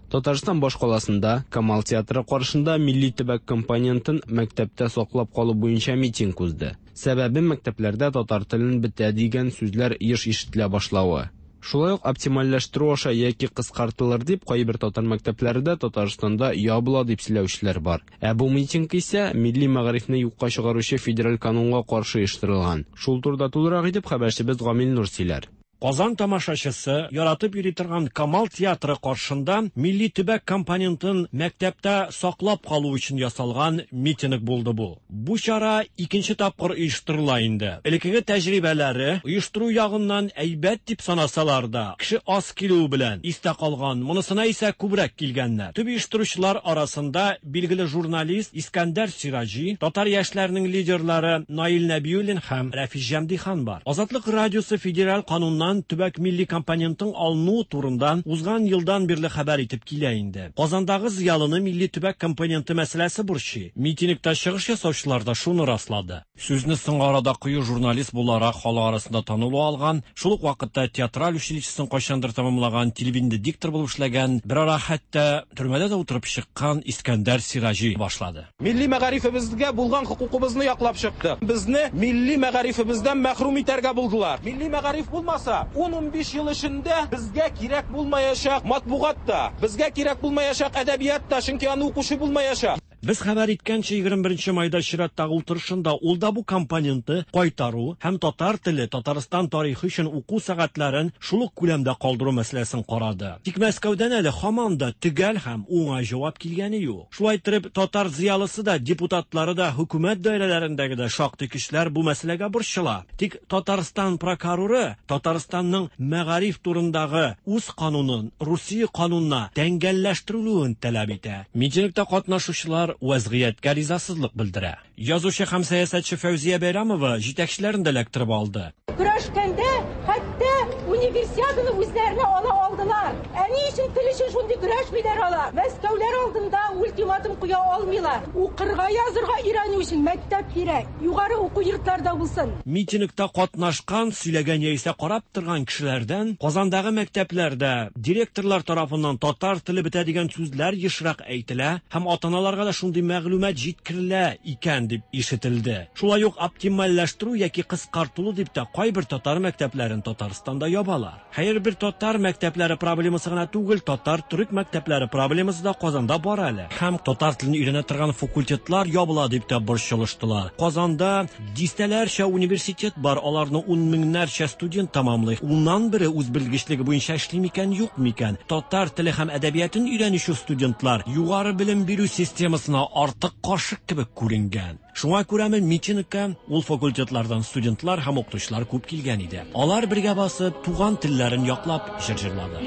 Татарстан башкаласында Камал театры каршында милли төбәк компонентын мәктәптә саклап калу буенча митинг узды. Сәбәбе мәктәпләрдә татар телен бетә дигән сүзләр еш ишетелә башлавы. Шулай ук оптимальләштерү аша яки кыскартылыр дип кайбер татар мәктәпләрендә Татарстанда ябыла дип сөйләүчеләр бар. Ә бу митинг исә милли мәгарифне юкка чыгаручы федераль канунга каршы оештырылган. Шул турыда тулырак итеп хәбәрчебез Гамил Нур сөйләр. Казан тамашачысы яратып йөри торган Камал театры каршында милли төбәк компонентын мәктәптә саклап калу өчен ясалган митинг булды бу. Бу чара икенче тапкыр оештырыла инде. Элеккеге тәҗрибәләре оештыру ягыннан әйбәт дип санасалар да, кеше аз килүе белән истә калган, монысына исә күбрәк килгәннәр. Төп оештыручылар арасында билгеле журналист Искәндәр Сираҗи, татар яшьләренең лидерлары Наил Нәбиуллин һәм Рәфис Җәмдихан бар. Азатлык радиосы федераль кануннан Татарстаннан төбәк милли компонентын алыну турында узган елдан бирле хәбәр итеп килә инде. Казандагы зыялыны милли төбәк компоненты мәсьәләсе борчый. Митингта чыгыш ясаучылар да шуны раслады. Сүзне соңгы арада кыю журналист буларак халык арасында танылу алган, шул ук вакытта театраль училищесын кайчандыр тәмамлаган, телевидениедә диктор булып эшләгән, берара хәтта төрмәдә дә утырып чыккан Искәндәр Сираҗи башлады. Милли мәгарифебезгә булган хокукыбызны яклап чыктык. Безне милли мәгарифебездән мәхрүм итәргә булдылар. Милли мәгариф булмаса, ун-унбиш ел эчендә безгә кирәк булмаячак матбугат та, безгә кирәк булмаячак әдәбият та, чөнки аны укучы булмаячак. Без хәбәр иткәнчә, егерме беренче майда чираттагы утырышында ул да бу компоненты кайтару һәм татар теле, Татарстан тарихы өчен уку сәгатьләрен шул ук күләмдә калдыру мәсьәләсен карады. Тик Мәскәүдән әле һаман да төгәл һәм уңай җавап килгәне юк. Шулай итеп, татар зыялысы да, депутатлары да, хөкүмәт даирәләрендәге дә шактый кешеләр бу мәсьәләгә борчыла. Тик Татарстан прокуроры Татарстанның мәгариф турындагы үз канунын Русия канунына тәңгәлләштерүен таләп итә. Митингта катнашучылар вазгыятькә ризасызлык белдерә. Язучы һәм сәясәтче Фәүзия Бәйрәмова җитәкчеләрен дә эләктереп алды. Көрәшкәндә хәтта универсиаданы үзләренә ала алдылар. Ә ни өчен тел өчен шундый көрәшмиләр алар? Мәскәүләр алдында ультиматум куя алмыйлар. Укырга, язырга өйрәнү өчен мәктәп кирәк. Югары уку йортларда булсын. Митингта катнашкан, сөйләгән яисә карап торган кешеләрдән Казандагы мәктәпләрдә директорлар тарафыннан татар теле бетә дигән сүзләр ешрак әйтелә һәм ата-аналарга да шундый мәгълүмат җиткерелә икән дип ишетелде. Шулай ук оптимальләштерү яки кыскартылу дип тә кайбер татар мәктәпләрен Татарстанда ябалар. Хәер, бер татар мәктәпләре проблемасы гына түгел, татар-төрек мәктәпләре проблемасы да Казанда бар әле. Һәм татар телен өйрәнә торган факультетлар ябыла дип тә борчылыштылар. Казанда дистәләрчә университет бар, аларны ун меңнәрчә студент тәмамлый. Уннан бере үз белгечлеге буенча эшли микән, юк микән? Татар теле һәм әдәбиятын өйрәнүче студентлар югары белем бирү системасына артык каршы кебек күренгән. Шуңа күрәме митингка ул факультетлардан студентлар һәм укытучылар күп килгән иде. Алар бергә басып, туган телләрен яклап җыр җырлады.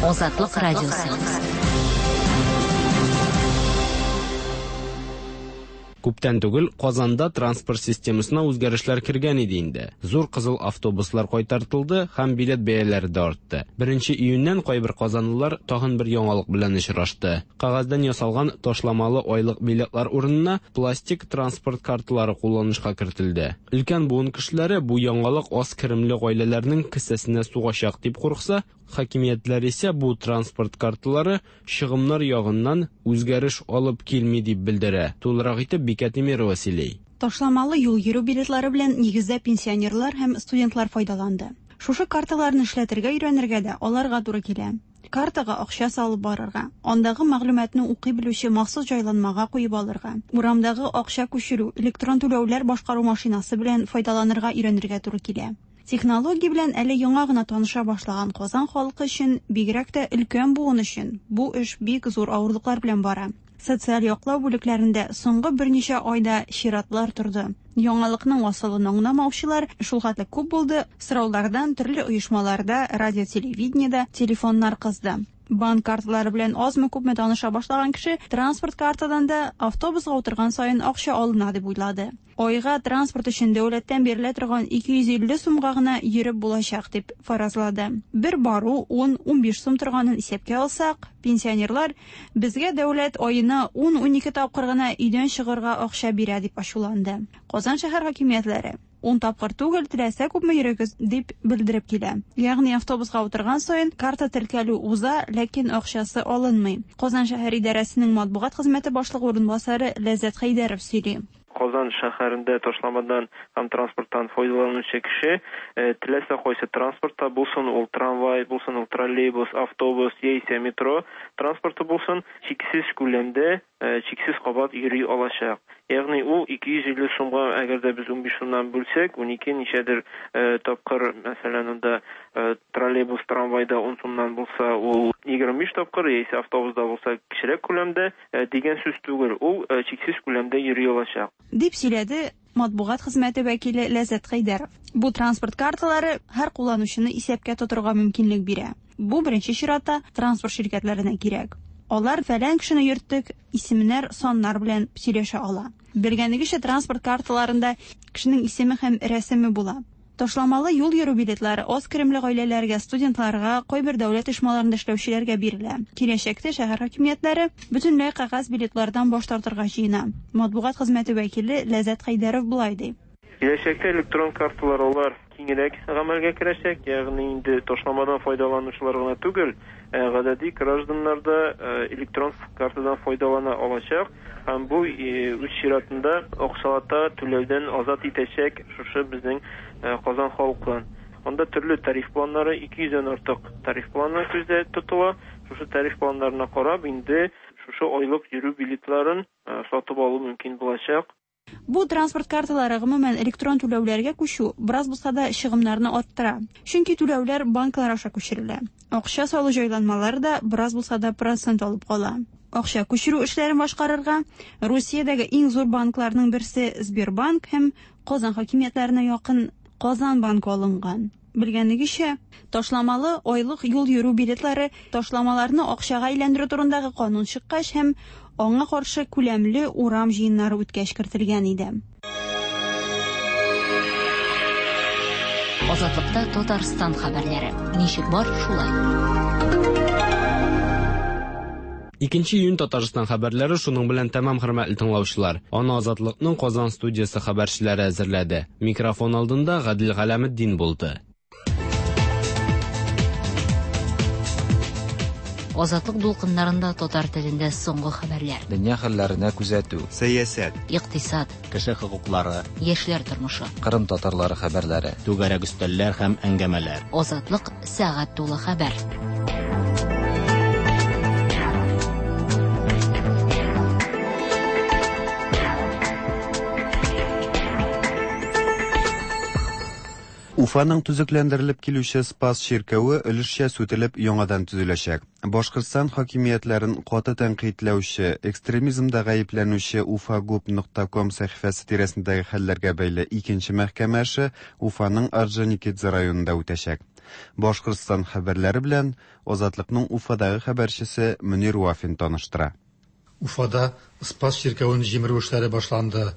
Азатлык радиосы. Күптән түгел Казанда транспорт системасына үзгәрешләр кергән иде инде. Зур кызыл автобуслар кайтартылды һәм билет бәяләре дә артты. Беренче июньнән кайбер казанлылар тагын бер яңалык белән очрашты. Кагаздан ясалган ташламалы айлык билетлар урынына пластик транспорт карталары кулланышка кертелде. Өлкән буын кешеләре бу яңалык аз керемле гаиләләрнең кесәсенә сугачак дип курыкса, хакимиятләр исә бу транспорт карталары чыгымнар ягыннан үзгәреш алып килми дип белдерә. Тулырак итеп Бикә Тимирова сөйли. Ташламалы юл йөрү билетлары белән нигездә пенсионерлар һәм студентлар файдаланды. Шушы карталарны эшләтергә өйрәнергә дә аларга туры килә. Картага акча салып барырга, андагы мәгълүматны укый белүче махсус җайланмага куеп алырга, урамдагы акча күчерү, электрон түләүләр башкару машинасы белән файдаланырга өйрәнергә туры килә. Технология белән әле яңа гына таныша башлаган Казан халкы өчен, бигрәк тә өлкән буын өчен, бу эш бик зур авырлыклар белән бара. Социаль яклау бүлекләрендә соңгы берничә айда чиратлар торды. Яңалыкның асылын аңламаучылар шул хәтле күп булды, сораулардан төрле оешмаларда, радио, телевидениедә телефоннар кызды. Банк карталары белән азмы-күпме таныша башлаган кеше транспорт картадан да автобусга утырган саен акча алына дип уйлады. Айга транспорт өчен дәүләттән бирелә торган ике йөз илле сумга гына йөреп булачак дип фаразлады. Бер бару ун-унбиш сум торганын исәпкә алсак, пенсионерлар безгә дәүләт аена ун-унике тапкыр гына өйдән чыгарга акча бирә дип ачуланды. Казан шәһәр хакимиятләре ун тапкыр түгел, теләсә күпме йөрегез дип белдереп килә. Ягъни автобусга утырган саен карта теркәлү уза, ләкин акчасы алынмый. Казан шәһәр идарәсенең матбугат хезмәте башлыгы урынбасары Ләззәт Хәйдәров сөйли. Казан шәһәрендә ташламадан һәм транспорттан файдаланучы кеше теләсә кайсы транспортта булсын, ул трамвай булсын, ул троллейбус, автобус яисә метро транспорты булсын, чиксез күләмдә чиксез кабат йөри алачак. Ягъни ул ике йөз илле сумга, әгәр дә без унбиш сумнан бүлсәк, унике ничәдер тапкыр, мәсәлән, анда троллейбус, трамвайда ун сумнан булса, ул егерме биш тапкыр, яисә автобуста булса кечерәк күләмдә дигән сүз түгел, ул чиксез күләмдә йөри алачак. Дип сөйләде матбугат хезмәте вәкиле Ләззәт Хәйдәров. Бу транспорт карталары һәр кулланучыны исәпкә тотырга мөмкинлек бирә. Бу беренче чиратта транспорт ширкәтләренә кирәк. Алар фәлән кешене йөрттек, исемнәр, саннар белән сөйләшә ала. Белгәнегезчә, транспорт карталарында кешенең исеме һәм рәсеме була. Ташламалы юл йөрү билетлары аз керемле гаиләләргә, студентларга, кайбер дәүләт оешмаларында эшләүчеләргә бирелә. Киләчәктә шәһәр хакимиятләре бөтенләй кәгазь билетлардан баш тартырга җыена. Матбугат хезмәте вәкиле Ләззәт Хәйдәров болай ди. Киләчәктә электрон карталар алар киңрәк гамәлгә керәчәк, ягъни инде ташламадан файдаланучылар гына түгел, гадәти гражданнар да электрон картадан файдалана алачак һәм бу үз чиратында акчалата түләүдән азат итәчәк шушы безнең Казан халкын. Анда төрле тариф планнары, ике йөздән артык тариф планы күздә тотыла. Шушы тариф планнарына карап, инде шушы айлык йөрү билетларын сатып алу мөмкин булачак. Бу транспорт карталары гомумән электрон түләүләргә күчү бераз булса да чыгымнарны арттыра. Чөнки түләүләр банклар аша күчерелә. Акча салу җайланмалары да бераз булса да процент алып кала. Акча күчерү эшләрен башкарырга Русиядәге иң зур банкларның берсе Сбербанк һәм Казан хакимиятләренә якын Казан банкы алынган. Белгәнегезчә, ташламалы айлык юл йөрү билетлары ташламаларны акчага әйләндерү турындагы канун чыккач һәм аңа каршы күләмле урам җыеннары үткәч кертелгән иде. Азатлыкта Татарстан хәбәрләре. Ничек бар, шулай. Икенче июнь Татарстан хәбәрләре шуның белән тәмам, хөрмәтле тыңлаучылар. Аны Азатлыкның Казан студиясе хәбәрчеләре әзерләде. Микрофон алдында Гадил Галәметдин булды. Азатлык дулкыннарында татар телендә соңгы хәбәрләр. Дөнья хәлләренә күзәтү, сәясәт, икътисад, кеше хокуклары, яшьләр тормышы, Кырым татарлары хәбәрләре, түгәрәк өстәлләр һәм әңгәмәләр. Азатлык сәгать тулы хәбәр. Уфаның төзекләндерелеп килүче Спас чиркәве өлешчә сүтелеп яңадан төзеләчәк. Башкортстан хакимиятләрен каты тәнкыйтьләүче, экстремизмда гаепләнүче уфагуб нокта ком сәхифәсе тирәсендәге хәлләргә бәйле икенче мәхкәмә эше Уфаның Орджоникидзе районында үтәчәк. Башкортстан хәбәрләре белән Азатлыкның Уфадагы хәбәрчесе Мөнир Вафин таныштыра. Уфада Спас чиркәвен җимерү эшләре башланды.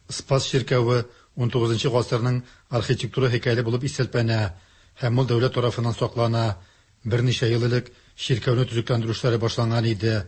Спас чиркәве ун тугызынчы гасырның архитектура һәйкәле булып исәпләнә һәм ул дәүләт тарафыннан саклана. Берничә ел элек чиркәүне төзекләндерү эшләре башланган иде.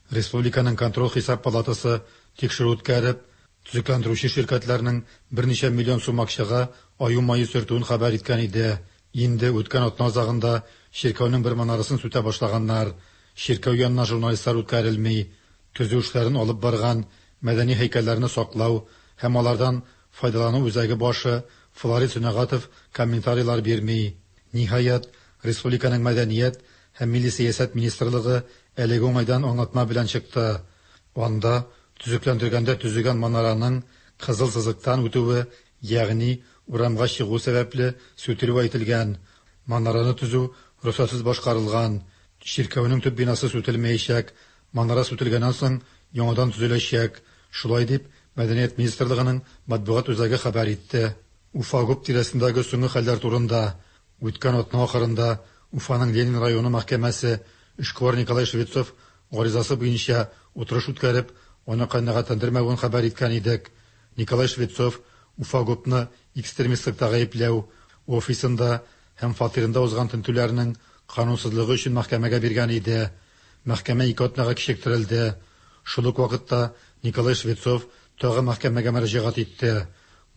Республиканың контроль хисап палатасы тикшерү үткәреп, төзекләндерүче ширкәтләрнең берничә миллион сум акчага аю мае сөртүен хәбәр иткән иде. Инде үткән атна азагында чиркәүнең бер манарасын сүтә башлаганнар. Чиркәү янына журналистлар үткәрелми. Төзү эшләрен алып барган мәдәни һәйкәлләрне саклау һәм алардан файдалану үзәге башы Флорид Сөнәгатов комментарийлар бирми. Ниһаять, республиканың мәдәният һәм милли сәясәт министрлыгы әлеге уңайдан аңлатма белән чыкты. Анда төзекләндергәндә төзегән манараның кызыл сызыктан үтүе, ягъни урамга чыгу сәбәпле сүтелүе әйтелгән. Манараны төзү рөхсәтсез башкарылган. Чиркәүнең төп бинасы сүтелмәячәк. Манара сүтелгәннән соң яңадан төзеләчәк. Шулай дип Мәдәният министрлыгының матбугат үзәге хәбәр итте. Уфа-ГУП тирәсендәге соңгы хәлләр турында үткән атна ахырында Уфаның Ленин районы мәхкәмәсе эшкуар Николай Швецов гаризасы буенча утырыш үткәреп, аны канәгатьләндермәвен хәбәр иткән идек. Николай Швецов Уфа-ГУПны экстремистлыкта гаепләү, офисында һәм фатирында узган тентүләрнең канунсызлыгы өчен мәхкәмәгә биргән иде. Мәхкәмә ике атнага кичектерелде. Шул ук вакытта Николай Швецов тагы мәхкәмәгә мөрәҗәгать итте.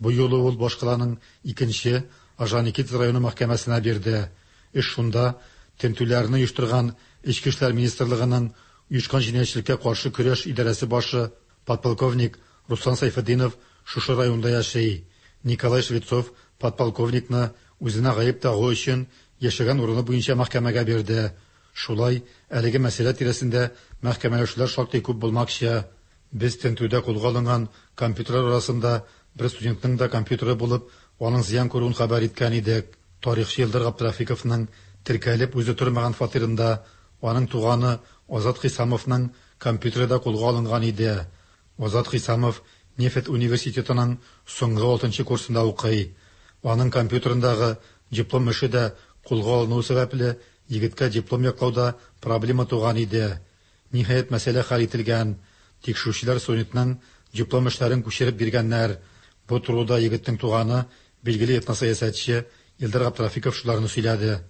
Бу юлы ул башкаланың икенче Орджоникидзе районы мәхкәмәсенә бирде. Эш шунда тентүләрне оештырган Эчке эшләр министрлыгының оешкан җинаятьчелеккә каршы көрәш идарәсе башы подполковник Руслан Сайфетдинов шушы районда яши. Николай Швецов подполковникны үзенә гаеп тагу өчен яшәгән урыны буенча мәхкәмәгә бирде. Шулай әлеге мәсьәлә тирәсендә мәхкәмәләшүләр шактый күп булмакчы. Без тентүдә кулга алынган компьютерлар арасында бер студентның да компьютеры булып, аның зыян күрүен хәбәр иткән идек. Тарихчы Илдар Габдрафиковның теркәлеп үзе тормаган фатирында аның туганы Азат Хисамовның компьютеры да кулга алынган иде. Азат Хисамов Нефть университетының соңгы алтынчы курсында укый. Аның компьютерындагы диплом эше дә кулга алыну сәбәпле егеткә диплом яклауда проблема туган иде. Ниһаять, мәсьәлә хәл ителгән. Тикшерүчеләр студентның диплом эшләрен күчереп биргәннәр. Бу турыда егетнең туганы, билгеле этносәясәтче Илдар Габдрафиков шуларны сөйләде.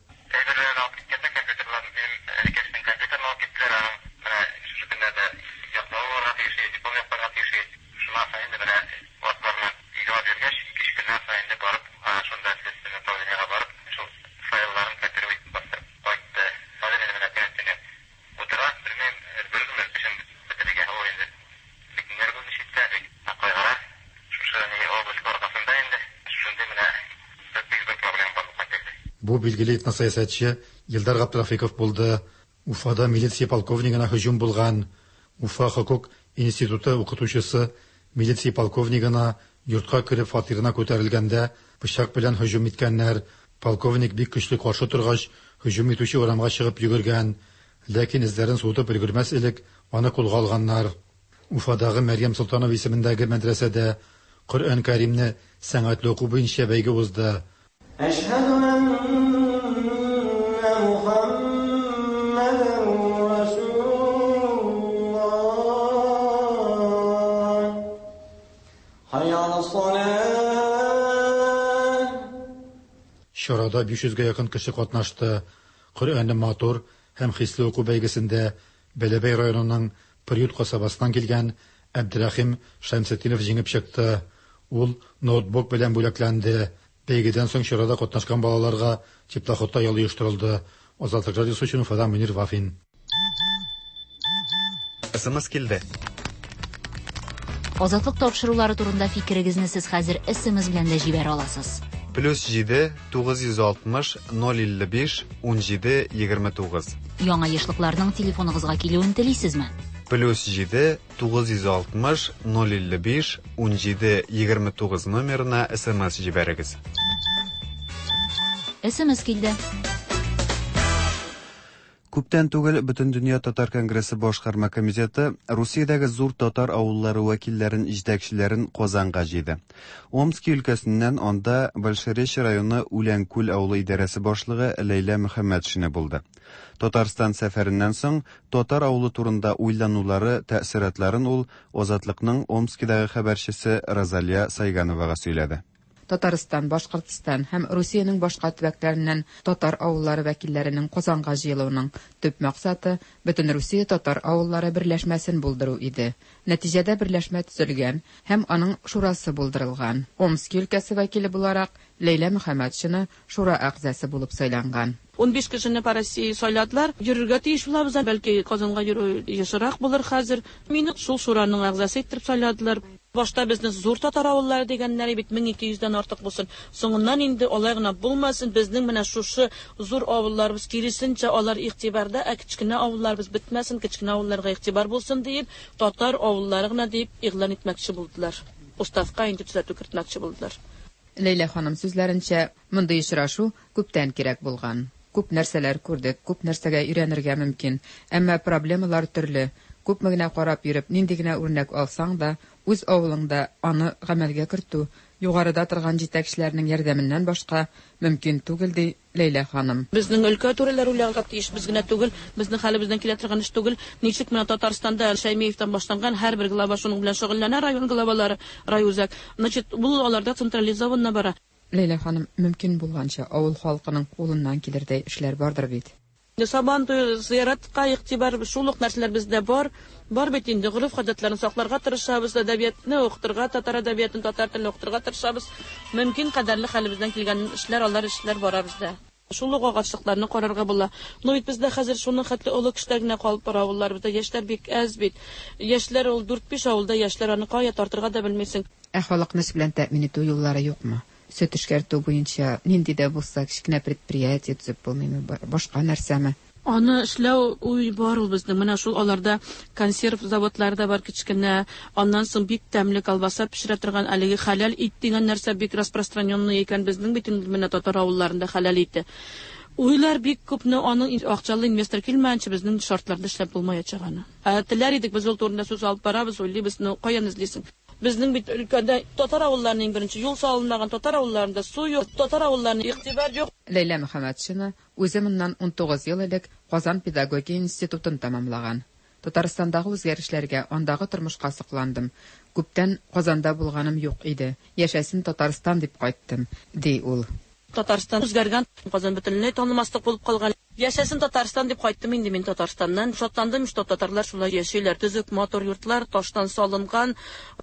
Бу билгеле этносәясәтче Илдар Габдрафиков булды. Уфада милиция полковнигына һөҗүм булган. Уфа хокук институты укытучысы милиция полковнигына йортка кереп фатирына күтәрелгәндә пычак белән һөҗүм иткәннәр. Полковник бик көчле каршы торгач, һөҗүм итүче урамга чыгып йөгергән. Ләкин эзләрен суытып өлгермәс элек аны кулга алганнар. Уфадагы Мәрьям Солтанова исемендәге мәдрәсәдә Коръән Кәримне сәнгатьле уку буенча бәйге узды. Әшһәдү әннә Мухаммәдән Расулуллаһ. Хәйя алас-салаһ. Чарада биш йөзгә якын кеше катнашты. Коръәнне матур һәм хисле уку бәйгесендә Бәләбәй районының Приют касабасыннан килгән Әбдерәхим Шәмсетдинов җиңеп чыкты. Ул ноутбук белән бүләкләнде. Бәйгедән соң чарада катнашкан балаларга теплоходта ял оештырылды. Азатлык радиосы өчен Уфадан Мөнир Вафин. СМС килде. Азатлык тапшырулары турында фикерегезне сез хәзер СМС белән дә җибәрә аласыз. Плюс җиде тугыз йөз алтмыш ноль илле биш ун җиде егерме тугыз. Яңа ешлыкларның телефоныгызга килүен телисезме? Плюс җиде тугыз йөз алтмыш ноль илле биш ун җиде егерме тугыз номерына СМС җибәрегез. СМС килде. Күптән түгел Бөтендөнья татар конгрессы башкарма комитеты Русиядәге зур татар авыллары вәкилләрен, җитәкчеләрен Казанга җыйды. Омски өлкәсеннән анда Большеречье районы Үләнкүл авылы идарәсе башлыгы Ләйлә Мөхәммәтшина булды. Татарстан сәфәреннән соң татар авылы турында уйланулары, тәэссоратларын ул Азатлыкның Омскидагы хәбәрчесе Розалия Сайгановага сөйләде. Татарстан, Башкортстан һәм Русиянең башка төбәкләреннән татар авыллары вәкилләренең Казанга җыелуының төп максаты Бөтен Русия татар авыллары берләшмәсен булдыру иде. Нәтиҗәдә берләшмә төзелгән һәм аның шурасы булдырылган. Омски өлкәсе вәкиле буларак Ләйлә Мөхәммәтшина шура әгъзасы булып сайланган. Ун биш кешене по России сайладылар. Йөрергә тиеш булабыз, бәлки Казанга йөрү ешрак булыр хәзер. Мине шул шураның әгъзасы итеп сайладылар. Башта безне зур татар авыллары дигәннәр бит мең ике йөздән артык булсын. Соңыннан инде алай гына булмасын, безнең менә шушы зур авылларыбыз киресенчә алар игътибарда, ә кечкенә авылларыбыз бетмәсен, кечкенә авылларга игътибар булсын диеп, татар авыллары гына дип игълан итмәкче булдылар. Уставка инде төзәтү кертмәкче булдылар. Ләйлә ханым сүзләренчә, мондый очрашу күптән кирәк булган. Күп нәрсәләр күрдек, күп нәрсәгә өйрәнергә мөмкин, әмма проблемалар төрле. Күпме генә карап йөреп, нинди генә үрнәк алсаң да, үз авылыңда аны гамәлгә кертү, югарыда торган җитәкчеләрнең ярдәменнән башка мөмкин түгел, ди Ләйлә ханым. Безнең өлкә түрәләре уйларга тиеш, без генә түгел, безнең хәлебездән килә торган эш түгел. Ничек менә Татарстанда Шәймиевтән башланган һәрбер глава шуның белән шөгыльләнә, район главалары, райүзәк. Значит, бу аларда централизованно бара. Ләйлә ханым, мөмкин булганча авыл халкының кулыннан килердәй эшләр бардыр бит. Сабан туе, зыяратка игътибар, шул ук нәрсәләр бездә бар. Бар бит инде, гореф-гадәтләрне сакларга тырышабыз, әдәбиятны укытырга, татар әдәбиятын, татар телен укытырга тырышабыз. Мөмкин кадәрле хәлебездән килгән эшләр, алар эшләр бара бездә. Шул ук агачлыкларны карарга була. Но бит бездә хәзер шуның хәтле олы кешеләр генә калып бара авылларыбызда. Яшьләр бик әз бит. Яшьләр ул дүрт-биш авылда яшьләр, аны кая тартырга да белмисең. Ә халыкны эш белән тәэмин итү юллары юкмы? Сөт эшкәртү буенча нинди дә булса кечкенә предприятие төзеп булмыймы, башка нәрсәме? Аны эшләү уй бар ул безнең. Менә шул аларда консерв заводлары да бар кечкенә. Аннан соң бик тәмле колбаса пешерә торган әлеге хәләл ит дигән нәрсә бик распространенный икән безнең бит инде менә татар авылларында хәләл ите. Уйлар бик күпне, аның акчалы инвестор килмәенчә безнең шартларда эшләп булмаячак аны. Ә теләр идек, без ул турында сүз алып барабыз, уйлыйбыз, но каян эзлисең? Безнең бит өлкәдә татар авылларының иң беренче юл салынмаган, татар авылларында су юк, татар авылларына игътибар юк. Ләйлә Мөхәммәтшина үзе моннан унтугыз ел элек Казан педагогия институтын тәмамлаган. Татарстандагы үзгәрешләргә, андагы тормышка сокландым. Күптән Казанда булганым юк иде. Яшәсен Татарстан дип кайттым, ди ул. Татарстан үзгәргән, Казан бөтенләй танымаслык булып калган. Яшәсен Татарстан дип кайттым инде мин Татарстаннан. Шатландым, что татарлар шулай яшиләр. Төзек, матур йортлар, таштан салынган,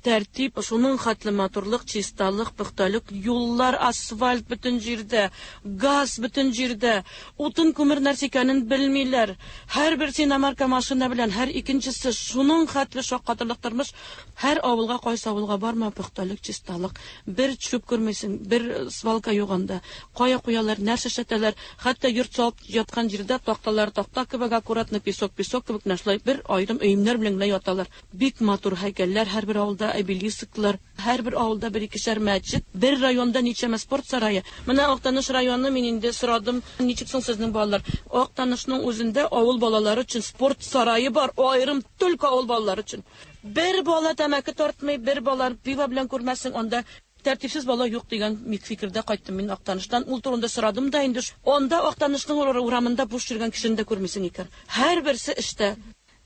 тәртип, шуның хәтле матурлык, чисталык, пөхтәлек, юллар, асфальт бөтен җирдә, газ бөтен җирдә, утын күмер нәрсә икәнен белмиләр. Һәрберсе иномарка машина белән, һәр икенчесе шуның хәтле шаккатырлык тормыш. Һәр авылга, кайсы авылга барма, пөхтәлек, чисталык. Бер чүп күрмисең, бер свалка юк анда. Кая куялар, нәрсә эшләтәләр, хәтта йорт салып яткан җирдә такталар такта кебек аккуратно, песок песок кебек нәрсәләр бер аерым өемнәр белән генә яталар. Бик матур һәйкәлләр, һәрбер авылда обелисклар, һәрбер авылда бер икешәр мәчет, бер районда ничәмә спорт сарае. Менә Актаныш районы, мин инде сорадым, ничек соң сезнең балалар? Актанышның үзендә авыл балалары өчен спорт сарае бар, аерым только авыл балалары өчен. Бер бала тәмәке тартмый, бер бала пиво белән күрмәсең, анда тәртипсез бала юк дигән фикердә кайттым мин Актаныштан. Ул турында сорадым да инде. Анда Актанышның урамында буш йөргән кешене дә күрмисең икән. Һәрберсе эштә.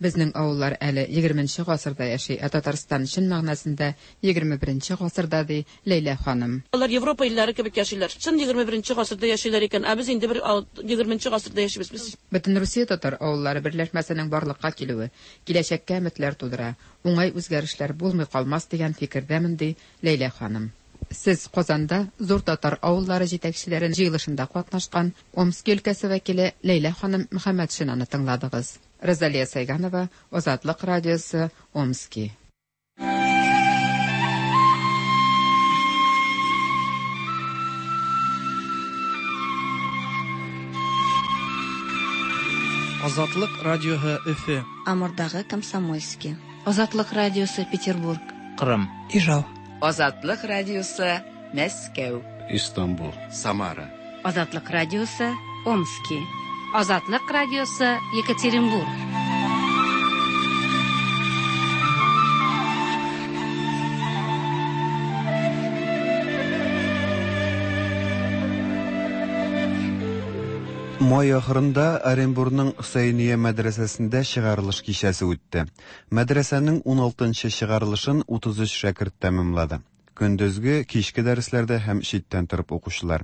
Безнең авыллар әле егерменче гасырда яши, ә Татарстан чын мәгънәсендә егерме беренче гасырда, ди Ләйлә ханым. Алар Европа илләре кебек яшиләр. Чын егерме беренче гасырда яшиләр икән, ә без инде бер егерменче гасырда яшибез без. Бөтенрусия татар авыллары берләшмәсенең барлыкка килүе киләчәккә өметләр тудыра, уңай үзгәрешләр булмый калмас дигән фикердәмен, ди Ләйлә ханым. Сез Казанда зур татар авыллары җитәкчеләрен җыелышында катнашкан Омски өлкәсе вәкиле Ләйлә ханым Мөхәммәтшинаны тыңладыгыз. Розалия Сайганова, Азатлык радиосы, Омски. Азатлык радиосы Өфе. Амурдагы Комсомольский. Азатлык радиосы Петербург. Кырым. Ижау. Азатлык радиосы Мәскәү. Истанбул. Самара. Азатлык радиосы Омски. Азатлык радиосы Екатеринбург. Май ахырында Оренбургның Хөсәйния мәдрәсәсендә чыгарылыш кичәсе үтте. Мәдрәсәнең ун алтынчы чыгарылышын утыз өч шәкерт тәмамлады. Көндезге, кичке дәресләрдә һәм читтән торып укучылар.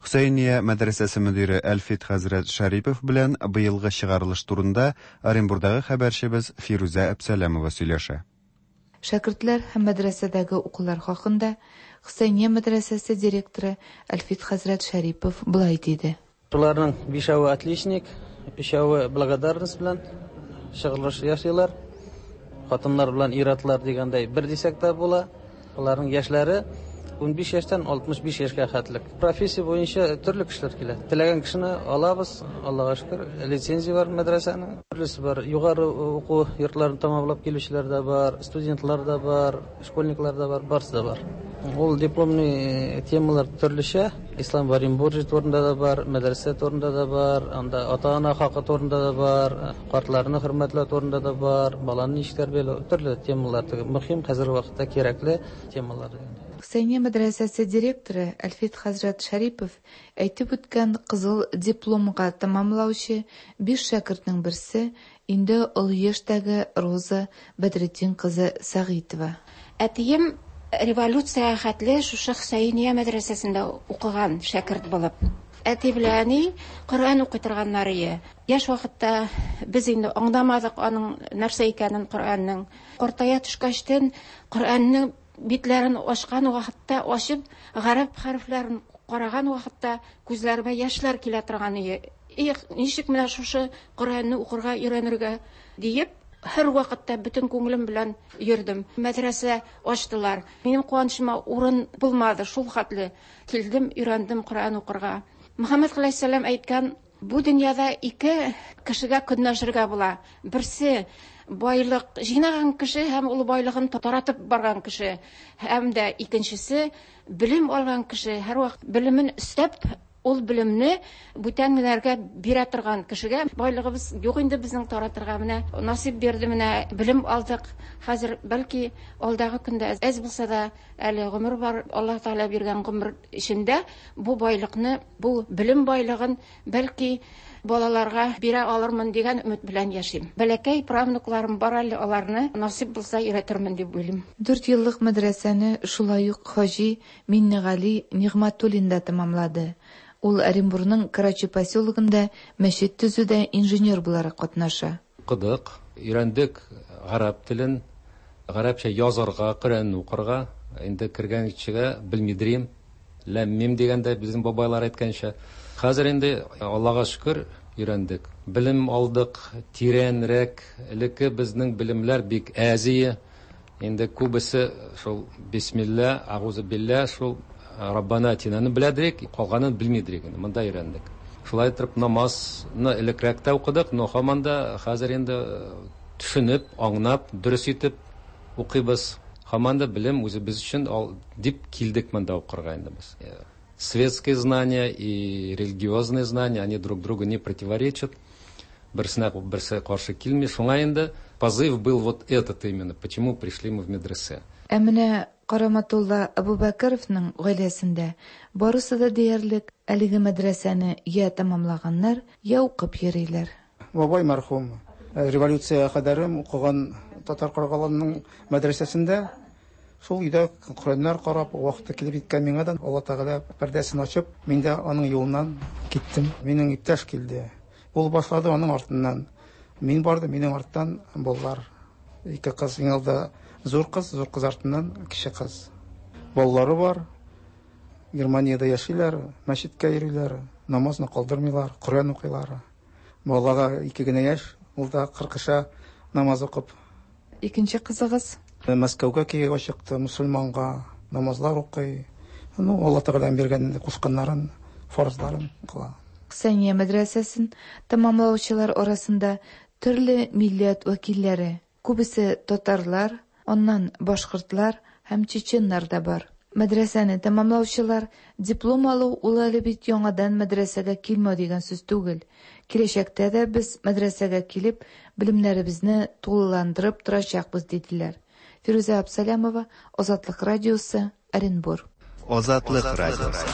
Хөсәйния мәдрәсәсе мөдире Әлфит хәзрәт Шәрипов белән быелгы чыгарылыш турында Оренбургдагы хәбәрчебез Фирүзә Әпсәләмова сөйләшә. Шәкертләр һәм мәдрәсәдәге укулар хакында Хөсәйния мәдрәсәсе директоры Әлфит хәзрәт Шәрипов былай диде. Шуларның бишәве отличник, өчәве благодарность белән чыгарылыш ясыйлар. Хатыннар белән ир-атлар дигәндәй бер дисәк тә була. Аларның яшьләре ун биш яшьтән алтмыш биш яшькә хәтлек. Профессия буенча төрле кешеләр килә. Теләгән кешене алабыз, Аллага шөкер, лицензия бар мәдрәсәнең. Төрлесе бар. Югары уку йортларын тәмамлап килүчеләр дә бар, студентлар да бар, школьниклар да бар, барысы да бар. Ул дипломный темалар төрлечә. Ислам в Оренбурге турында да бар, мәдрәсә турында да бар, анда ата-ана хакы турында да бар, картларны хөрмәтләү турында да бар, баланы ничек тәрбияләү, төрле темалар. Мөһим хәзерге вакытта кирәкле темалар. Хөсәйния мәдрәсәсе директоры Әлфит хәзрәт Шәрипов әйтеп үткән кызыл дипломга тәмамлаучы биш шәкертнең берсе инде олы яшьтәге Роза Бәдретдин кызы Сәгыйтова. Әтием революция хәтле шушы Хөсәйния мәдрәсәсендә укыган шәкерт булып. Әти белән әни Коръән укый торганнар иде. Яшь вакытта без инде аңламадык аның нәрсә икәнен Коръәннең. Картая төшкәчтен Коръәннең битләрен ачкан вакытта, ачып гарәп хәрефләрен караган вакытта күзләремә яшьләр килә торган иде. Их, ничек менә шушы Коръәнне укырга өйрәнергә диеп, һәр вакытта бөтен күңелем белән йөрдем. Мәдрәсә ачтылар. Минем куанычыма урын булмады, шул хәтле килдем, өйрәндем Коръән укырга. Мөхәммәд галәйһиссәлам әйткән, Бу дөньяда ике кешегә көнләшергә була. Берсе байлык җыйнаган кеше һәм ул байлыгын таратып барган кеше, һәм дә икенчесе белем алган кеше, һәрвакыт белемен өстәп, ул белемне бүтәннәргә бирә торган кешегә. Байлыгыбыз юк инде безнең таратырга, менә насыйп бирде, менә белем алдык. Хәзер бәлки алдагы көндә әз булса да әле гомер бар, Аллаһ Тәгалә биргән гомер эчендә бу байлыкны, бу белем байлыгын бәлки балаларга бирә алырмын дигән өмет белән яшим. Бәләкәй правнукларым бар әле, аларны насыйп булса өйрәтермен дип уйлыйм. Дүрт еллык мәдрәсәне шулай ук Хаҗи Миннегали Нигъмәтуллин да тәмамлады. Ул Оренбургның Карачи поселогында мәчет төзүдә инженер буларак катнаша. Укыдык, өйрәндек гарәп телен, гарәпчә язарга, Коръәнне укырга. Инде кергән кешегә белмидрим, ләм-мим дигәндә безнең бабайлар әйткәнчә. Хәзер инде Аллага шөкер өйрәндек. Белем алдык, тирәнрәк. Элекке безнең белемләр бик әзие. Инде күбесе шул бисмилла, агузу билла, шул Раббана атинаны беләдек, калганын белмидек инде. Монда өйрәндек. Шулай итеп намазны элекрәк тә укыдык, но һаман да хәзер инде төшенеп, аңлап, дөрес итеп укыйбыз. Һаман да белем үзебез өчен дип килдек монда укырга инде без. Светские знания и религиозные знания, они друг другу не противоречат. Берсенә берсе каршы килми. Шуңа инде позыв был вот этот именно. Почему пришли мы в медресе? Ә менә Караматулла Абубакаровның гаиләсендә барысы да диярлек әлеге мәдрәсәне я тәмамлаганнар, я укып йөриләр. Бабай мәрхүм революция кадәрем укыган Татар Каргалының мәдрәсәсендә шул өйдә Коръәннәр карап, вакыты килеп җиткән миңа да Алла Тәгалә пәрдәсен ачып, мин дә аның юлыннан киттем. Минем иптәш килде. Ул башлады, аның артыннан мин бардым, минем арттан балалар. Ике кыз, иң алда зур кыз, зур кыз артыннан кече кыз. Балалары бар. Германиядә яшиләр, мәчеткә йөриләр, намазны калдырмыйлар, Коръән укыйлар. Балага ике генә яшь, ул да кыркыша намаз укып. Икенче кызыгыз Мәскәүгә кияүгә чыкты, мусульманга намазлар укый. Ну, Алла Тәгаләнең биргән кушканнарын, фарызларын кыла. Хөсәйния мәдрәсәсен тәмамлаучылар арасында төрле милләт вәкилләре, күбесе татарлар, аннан башкортлар һәм чеченнар да бар. Мәдрәсәне тәмамлаучылар диплом алу ул әле бит яңадан мәдрәсәгә килмәү дигән сүз түгел. Киләчәктә дә без мәдрәсәгә килеп, белемнәребезне тулыландырып торачакбыз, диделәр. Фирүзә Абсалямова, Азатлык радиосы, Оренбург. Азатлык радиосы.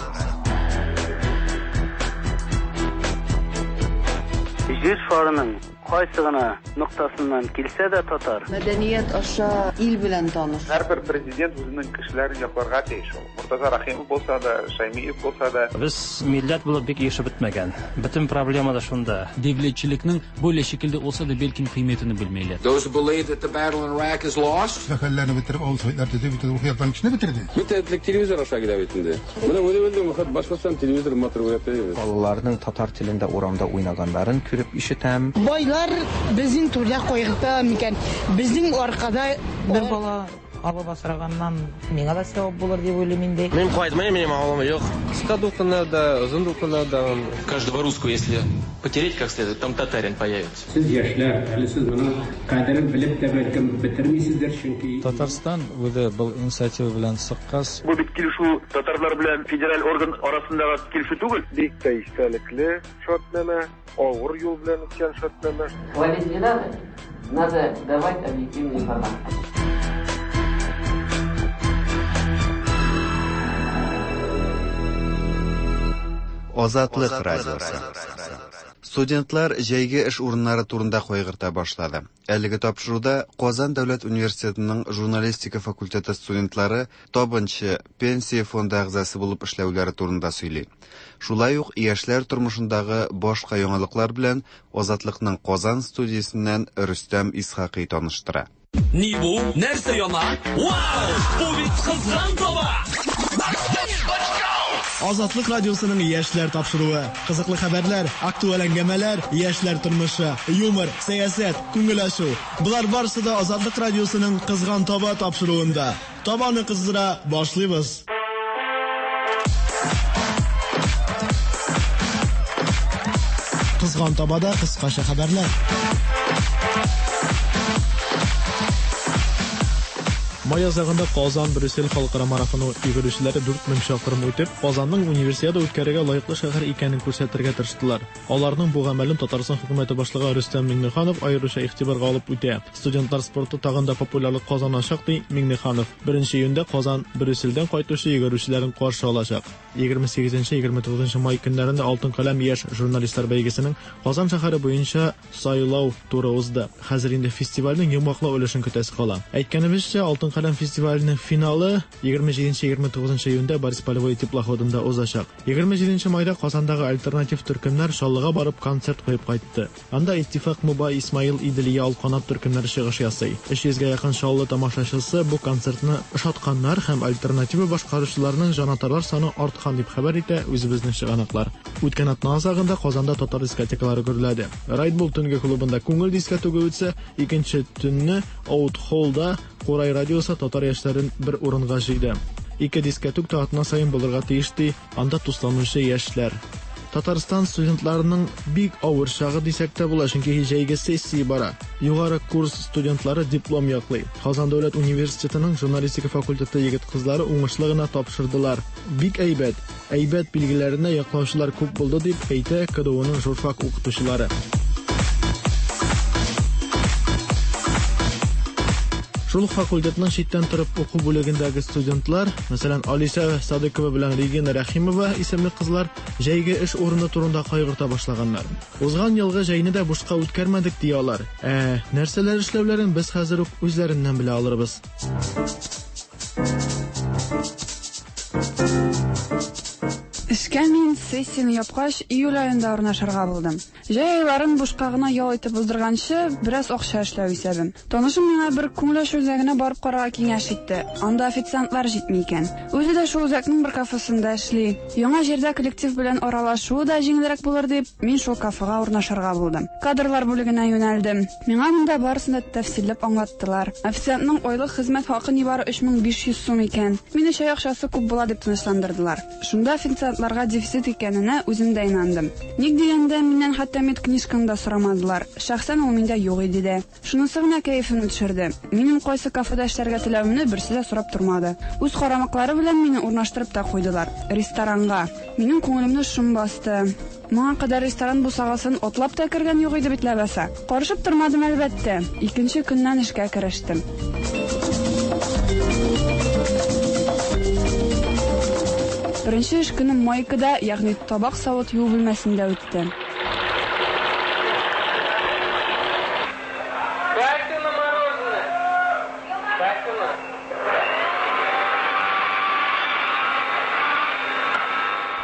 Җир шарының кайсы гына ноктасыннан килсә дә татар. Мәдәният аша ил белән таныш. Һәрбер президент үзенең кешеләрен якларга тиеш ул. Муртаза Рахимов булса да, Шаймиев булса да. Без милләт булып бик ешеп бетмәгән. Бөтен проблема да шунда. Дәүләтчелекнең бөйлә шикелдә булса да бәлкем кыйммәтен белмиләр. Those who believe that the battle in Iraq is lost. Хәлләрне бетереп, авыл советлар төзеп, бөтен рухи яктан кешене бетерде. Бөтен элек телевизор аша килә бит инде. Менә үзе белдем, хат башкортстан телевизор матур күрә. Балаларның татар телендә урамда уйнаганнарын күреп ишетәм. Байлар безнең түрдә кайгырта микән? Безнең аркада бер бала алып асраганнан миңа да сәбәп булыр дип уйлыйм инде. Мин кайтмыйм, минем авылым юк. Кыска дулкыннарда, озын дулкыннарда. Каждого русского, если потереть как следует, там татарин появится. Сез яшьләр, әле сез моның кадерен белеп тә бәлкем бетермисездер, чөнки Татарстан үзе был инициатива белән чыккач. Бу бит килешү татарлар белән федераль орган арасындагы килешү түгел. Бик тә истәлекле шартнамә, авыр юл белән үткән шартнамә. Ловить не надо, надо давать объективную информацию. Азатлык радиосы. Студентлар җәйге эш урыннары турында кайгырта башлады. Әлеге тапшыруда Казан дәүләт университетының журналистика факультеты студентлары табынчы пенсия фонды әгъзасы булып эшләүләре турында сөйли. Шулай ук яшьләр тормышындагы башка яңалыклар белән Азатлыкның Казан студиясеннән Рөстәм Исхакый таныштыра. Ни бу? Нәрсә яна? Вау! Бу бит кызган таба! Азатлык радиосының яшьләр тапшыруы. Кызыклы хәбәрләр, актуаль әңгәмәләр, яшьләр тормышы, юмор, сәясәт, күңел ачу. Болар барысы да Азатлык радиосының Кызган таба тапшыруында. Табаны кыздыра башлыйбыз. Кызган табада кыскача хәбәрләр. Май азагында Казан-Брюссель халыкара марафоны йөгерүчеләре дүрт мең чакрым үтеп, Казанның универсиада үткәрергә лаеклы шәһәр икәнен күрсәтергә тырыштылар. Аларның бу гамәлен Татарстан хөкүмәте башлыгы Рөстәм Миңнеханов аеруча игътибарга алып үтә. Студентлар спорты тагын да популярлык казаначак, ди Миңнеханов. Беренче июньдә Казан Брюссельдән кайтучы йөгерүчеләрен каршы алачак. егерме сигезенче егерме тугызынчы май көннәрендә Алтын каләм яшь журналистлар бәйгесенең Казан шәһәре буенча сайлау туры узды. Хәзер инде фестивальнең йомгаклау өлешен көтәсе кала. Әйткәнебезчә, Алтын каләм фестиваленең финалы егерме җиденче егерме тугызынчы июньдә Борис Полевой теплоходында узачак. егерме җиденче майда Казандагы альтернатив төркемнәр Чаллыга барып концерт куеп кайтты. Анда Иттифак Муба, Исмаил, Иделия, Алканат төркемнәре чыгыш ясый. Өч йөзгә якын Чаллы тамашачысы бу концертны ошатканнар һәм альтернатива башкаручыларның җанатарлар саны арткан дип хәбәр итә үзебезнең чыганаклар. Үткән атна азагында Казанда татар дискотекалары гөрләде. Райдбул төнге клубында күңел дискотегы үтсә, икенче төнне Out Hallда Курай радиосы татар яшьләрен бер урынга җыйды. Ике дискотек та атна саен булырга тиеш, ди анда тусланучы яшьләр. Татарстан студентларының бик авыр чагы дисәк тә була, чөнки җәйге сессия бара. Югары курс студентлары диплом яклый. Казан дәүләт университетының журналистика факультеты егет-кызлары уңышлы гына тапшырдылар. Бик әйбәт, әйбәт билгеләренә яклаучылар күп булды дип әйтә К Д Уның журфак укытучылары. Шул факультетның читтән торып уку бүлегендәге студентлар, мәсәлән, Алиса Садыкова белән Регина Рәхимова исемле кызлар җәйге эш урыны турында кайгырта башлаганнар. Узган елгы җәйне дә бушка үткәрмәдек ди алар. Ә нәрсәләр эшләүләрен без хәзер үк үзләреннән белә алырбыз. Эшкә мин сессияне япкач июль аенда урнашырга булдым. Җәй айларын бушка гына ял итеп уздырганчы, бераз акча эшләү исәбем. Танышым миңа бер күңел ачу үзәгенә барып карарга киңәш итте. Анда официантлар җитми икән. Үзе дә шул үзәкнең бер кафесында эшли. Яңа җирдә коллектив белән аралашу да җиңелрәк булыр дип, мин шул кафега урнашырга булдым. Кадрлар бүлегенә юнәлдем. Миңа монда барысын да тәфсилләп аңлаттылар. Официантның айлык хезмәт хакы нибары өч мең биш йөз сум икән. Мине чәй акчасы күп була дип тынычландырдылар. Шунда официантларга дефицит икәненә үзем дә инандым. Ник дигәндә, миннән хәтта медкнижканы да сорамадылар. Шәхсән ул миндә юк иде дә. Шунысы гына кәефемне төшерде. Минем кайсы кафеда эшләргә теләвемне берсе дә сорап тормады. Үз карамаклары белән мине урнаштырып та куйдылар. Ресторанга. Минем күңелемне шом басты. Моңа кадәр ресторан бусагасын атлап та кергән юк иде бит ләбаса. Карышып тормадым әлбәттә. Икенче көннән эшкә керештем. Беренче эш көнем майкада, ягъни табак савыт юу бүлмәсендә үтте.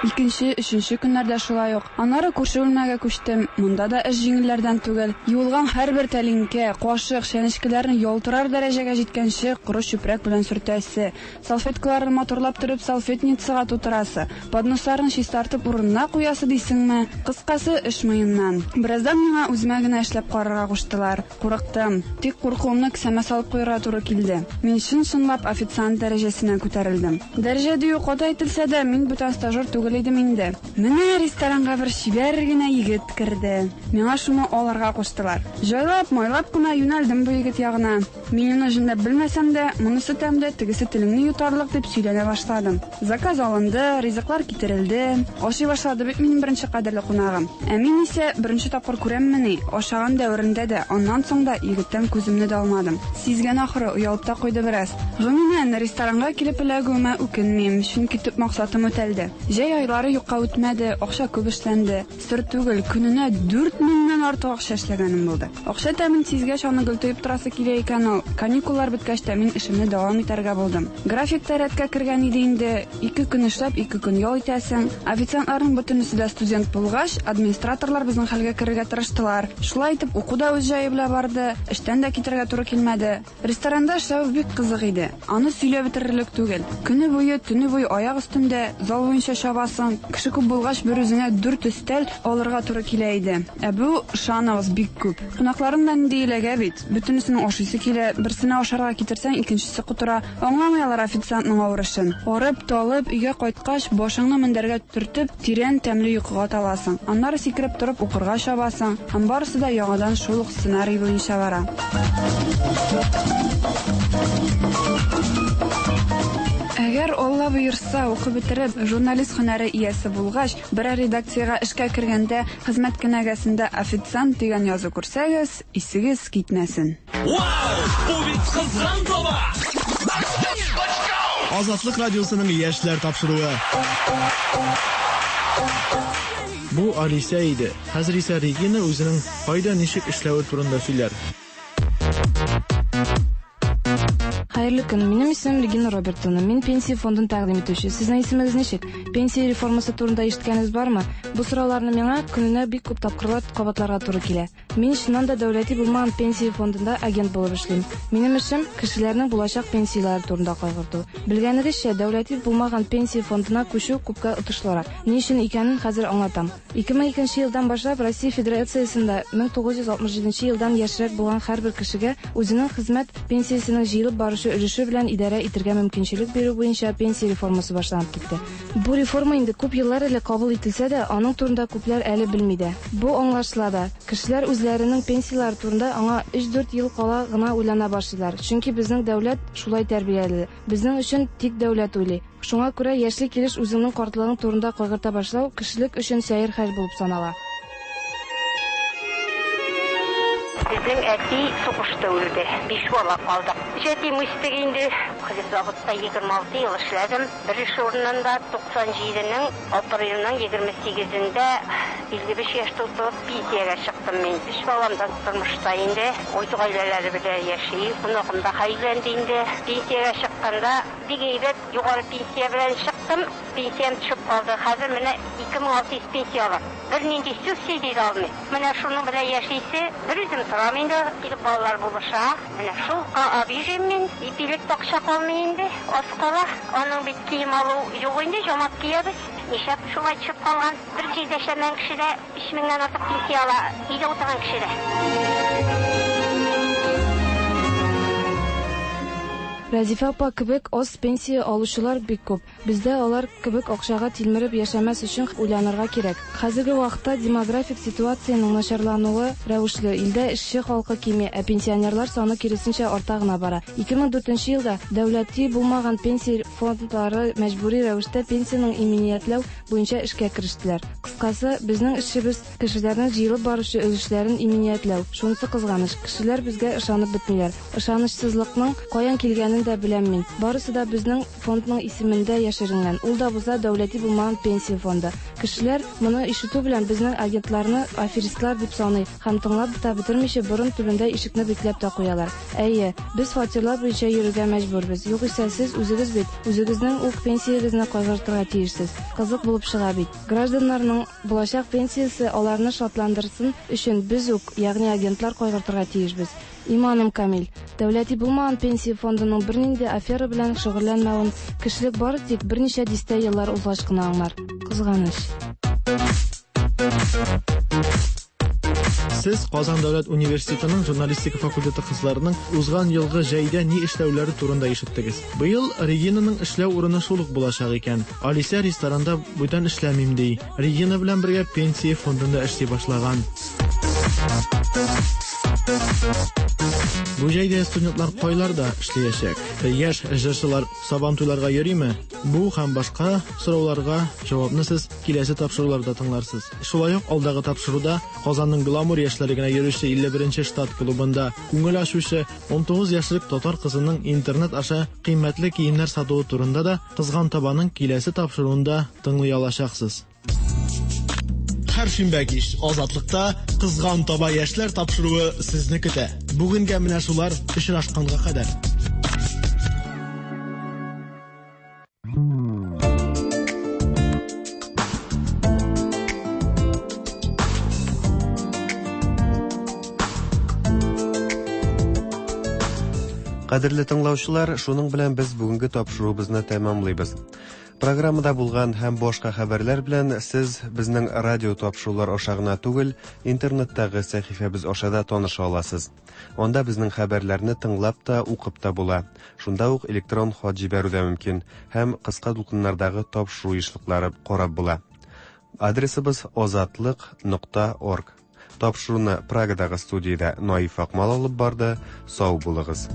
Икенче, өченче көннәрдә шулай ук. Аннары күрше бүлмәгә күчтем. Монда да эш җиңелләрдән түгел. Юылган һәрбер тәлинкә, кашык, чәнечкеләрне ялтырар дәрәҗәгә җиткәнче коры чүпрәк белән сөртәсе, салфеткаларны матурлап торып салфетницага тутырасы, подносларын чистартып урынына куясы дисеңме? Кыскасы, эш мыеннан. Бераздан миңа үземә генә эшләп карарга куштылар. Курыктым. Тик куркуымны кесәмә салып куярга туры килде. Мин чын-чынлап официант дәрәҗәсенә күтәрелдем. Дәрәҗә дию каты әйтелсә дә, мин бүтән стажер түгел идем инде. Менә ресторанга бер чибәр генә егет керде. Миңа шуны алырга куштылар. Җайлап, майлап кына юнәлдем бу егет ягына. Мин аны җүнләп белмәсәм дә, монысы тәмле, тегесе телеңне йотарлык дип сөйләнә башладым. Заказ алынды, ризыклар китерелде. Ашый башлады бит минем беренче кадерле кунагым. Ә мин исә беренче тапкыр күрәммени, ашаган дәверендә дә, аннан соң да егеттән күземне дә алмадым. Сизгән ахыры, оялып та куйды бераз. Гомумән, ресторанга килеп эләгүемә үкенмим, чөнки төп максатым үтәлде. Җәй айлары юкка үтмәде, акча күп эшләнде. Сер түгел, көненә дүрт меңнән артык акча эшләгәнем булды. Акча тәмен сизгәч, аны гел тоеп торасы килә икән ул. Каникуллар беткәч тә мин эшемне дәвам итәргә булдым. График та рәткә кергән иде инде. Ике көн эшләп, ике көн ял итәсең. Официантларның бөтенесе дә студент булгач, администраторлар безнең хәлгә керергә тырыштылар. Шулай итеп, уку да үз җае белән барды, эштән дә китәргә туры килмәде. Ресторанда эшләү бик кызык иде. Аны сөйләп бетерерлек түгел. Көне буе, төне буе аяк өстендә, зал буенча чабасың. торасың. Кеше күп булгач, бер үзеңә дүрт өстәл алырга туры килә иде. Ә бу, ышаныгыз, бик күп. Кунакларың да нинди иләгә бит. Бөтенесенең ашыйсы килә, берсенә ашарга китерсәң, икенчесе котыра. Аңламый алар официантның авыр эшен. Арып, талып, өйгә кайткач, башыңны мендәргә төртеп, тирән тәмле йокыга таласың. Аннары сикереп торып укырга чабасың. Һәм барысы да яңадан шул ук сценарий буенча бара. Әгәр Алла боерса, укып бетереп, журналист һөнәре иясе булгач, берәр редакциягә эшкә кергәндә, хезмәт кенәгәсендә официант дигән язу күрсәгез, исегез китмәсен. Вау! Бу бит кызган таба! Азатлык радиосының яшьләр тапшыруы. Бу Алисә иде. Хәзер исә Регина үзенең кайда ничек эшләве турында сөйләр. Хәерле көн. Минем исемем Регина Робертовна. Мин пенсия фондын тәкъдим итүче. Сезнең исемегез ничек? Пенсия реформасы турында ишеткәнегез бармы? Бу сорауларны миңа көненә бик күп тапкырлар кабатларга туры килә. Мин чыннан да дәүләти булмаган пенсия фондында агент булып эшлим. Минем эшем кешеләрнең булачак пенсияләре турында кайгырту. Белгәнегезчә, дәүләти булмаган пенсия фондына күчү күпкә отышлырак. Ни өчен икәнен хәзер аңлатам. ике мең икенче елдан башлап Россия Федерациясендә мең тугыз йөз алтмыш җиденче елдан яшьрәк булган һәрбер кешегә үзенең хезмәт пенсиясенең җыелып барышы өлеше белән идарә итәргә мөмкинчелек бирү буенча пенсия реформасы башланып китте. Бу реформа инде күп еллар элек кабул ителсә дә, аның турында күпләр әле белми дә. Бу аңлашыла да. Кешеләр үзләренең пенсияләре турында аңа өч-дүрт ел кала гына уйлана башлыйлар. Чөнки безнең дәүләт шулай тәрбияле. Безнең өчен тик дәүләт уйлый. Шуңа күрә яшьле килеш үзеңнең картлыгың турында кайгырта башлау кешелек өчен сәер хәл булып санала. Безнең әти сугышта үлде. Биш бала калдык. Җәтим үстек инде. Хлебзаводта егерме алты ел эшләдем. Бер эш урынында туксан җиденең апрельнең егерме сигезендә илле биш яшь тутырып пенсиягә чыктым мин. Өч балам да тормышта инде. Үз гаиләләре белән яши. Оныгым да өйләнде инде. Пенсиягә чыкканда бик әйбәт югары пенсия белән чыктым. Пенсиям төшеп калды. Хәзер менә ике мең алты йөз пенсия алам. Бернинди субсидия дә алмыйм. Менә шуның белән яшисе, бер үзем торам инде, килеп балалар булыша. Менә шул обижен мин, ипилек акча калмый инде, аз кала. Аның бит кием алу юк инде, жамап киябез. Нишләп шулай төшеп калган? Бер җирдә эшләмәгән кеше дә өч меңнән артык пенсия ала, өйдә утырган кеше дә. Рәзифә апа кебек аз пенсия алучылар бик күп. Бездә алар кебек акчага тилмереп яшәмәс өчен уйланырга кирәк. Хәзерге вакытта демографик ситуациянең начарлануы рәвешле илдә эшче халкы кими, ә пенсионерлар саны киресенчә арта гына бара. ике мең дүртенче елда дәүләти булмаган пенсия фондлары мәҗбүри рәвештә пенсияның иминиятләү буенча эшкә керештеләр. Кыскасы, безнең эшебез кешеләрнең җыелып баручы өлешләрен иминиятләү. Шунысы кызганыч, кешеләр безгә ышанып бетмиләр. Ышанычсызлыкның каян килгәнен дә беләм мин. Барысы да безнең фондның исемендә яшеренгән. Ул да булса дәүләти булмаган пенсия фонды. Кешеләр моны ишетү белән безнең агентларны аферистлар дип саный һәм тыңлап та бетермичә борын төбендә ишекне бикләп тә куялар. Әйе, без фатирлар буенча йөрергә мәҗбүрбез. Югыйсә сез үзегез бит, үзегезнең үк пенсиягезне кайгыртырга тиешсез. Кызык булып чыга бит. Гражданнарның булачак пенсиясе аларны шатландырсын өчен без үк, ягъни агентлар кайгыртырга тиешбез. Иманым камил. Дәүләти булмаган пенсия фондының бернинди афера белән шөгыльләнмәвен кешелек бары тик берничә дистә еллар узгач кына аңлар. Кызганыч. Сез Казан дәүләт университетының журналистика факультеты кызларының узган елгы җәйдә ни эшләүләре турында ишеттегез. Быел Регинаның эшләү урыны шул ук булачак икән. Алисә ресторанда бүтән эшләмим ди. Регина белән бергә пенсия фондында эшли башлаган. Бу җәйдә студентлар кайларда эшләячәк? Яшь җырчылар Сабантуйларга йөриме? Бу һәм башка сорауларга җавапны сез киләсе тапшыруларда тыңларсыз. Шулай ук алдагы тапшыруда Казанның гламур яшьләре генә йөрүче илле беренче штат клубында күңел ачучы ун тугыз яшьлек татар кызының интернет аша кыйммәтле киемнәр сатуы турында да Кызган табаның киләсе тапшыруында тыңлый алачаксыз. Һәр шимбә кич Азатлыкта Кызган таба яшьләр тапшыруы сезне көтә. Бүгенгә менә шулар, очрашканга кадәр. Кадерле тыңлаучылар, шуның белән без бүгенге тапшыруыбызны тәмамлыйбыз. Программада булган һәм башка хәбәрләр белән сез безнең радио тапшырулар аша гына түгел, интернеттагы сәхифәбез аша да таныша аласыз. Анда безнең хәбәрләрне тыңлап та, укып та була. Шунда ук электрон хат җибәрү дә мөмкин һәм кыска дулкыннардагы тапшыру ешлыклары карап була. Адресыбыз озатлык нокта орг. Тапшыруны Прагадагы студиядә Наиф Акмал алып барды. Сау булыгыз.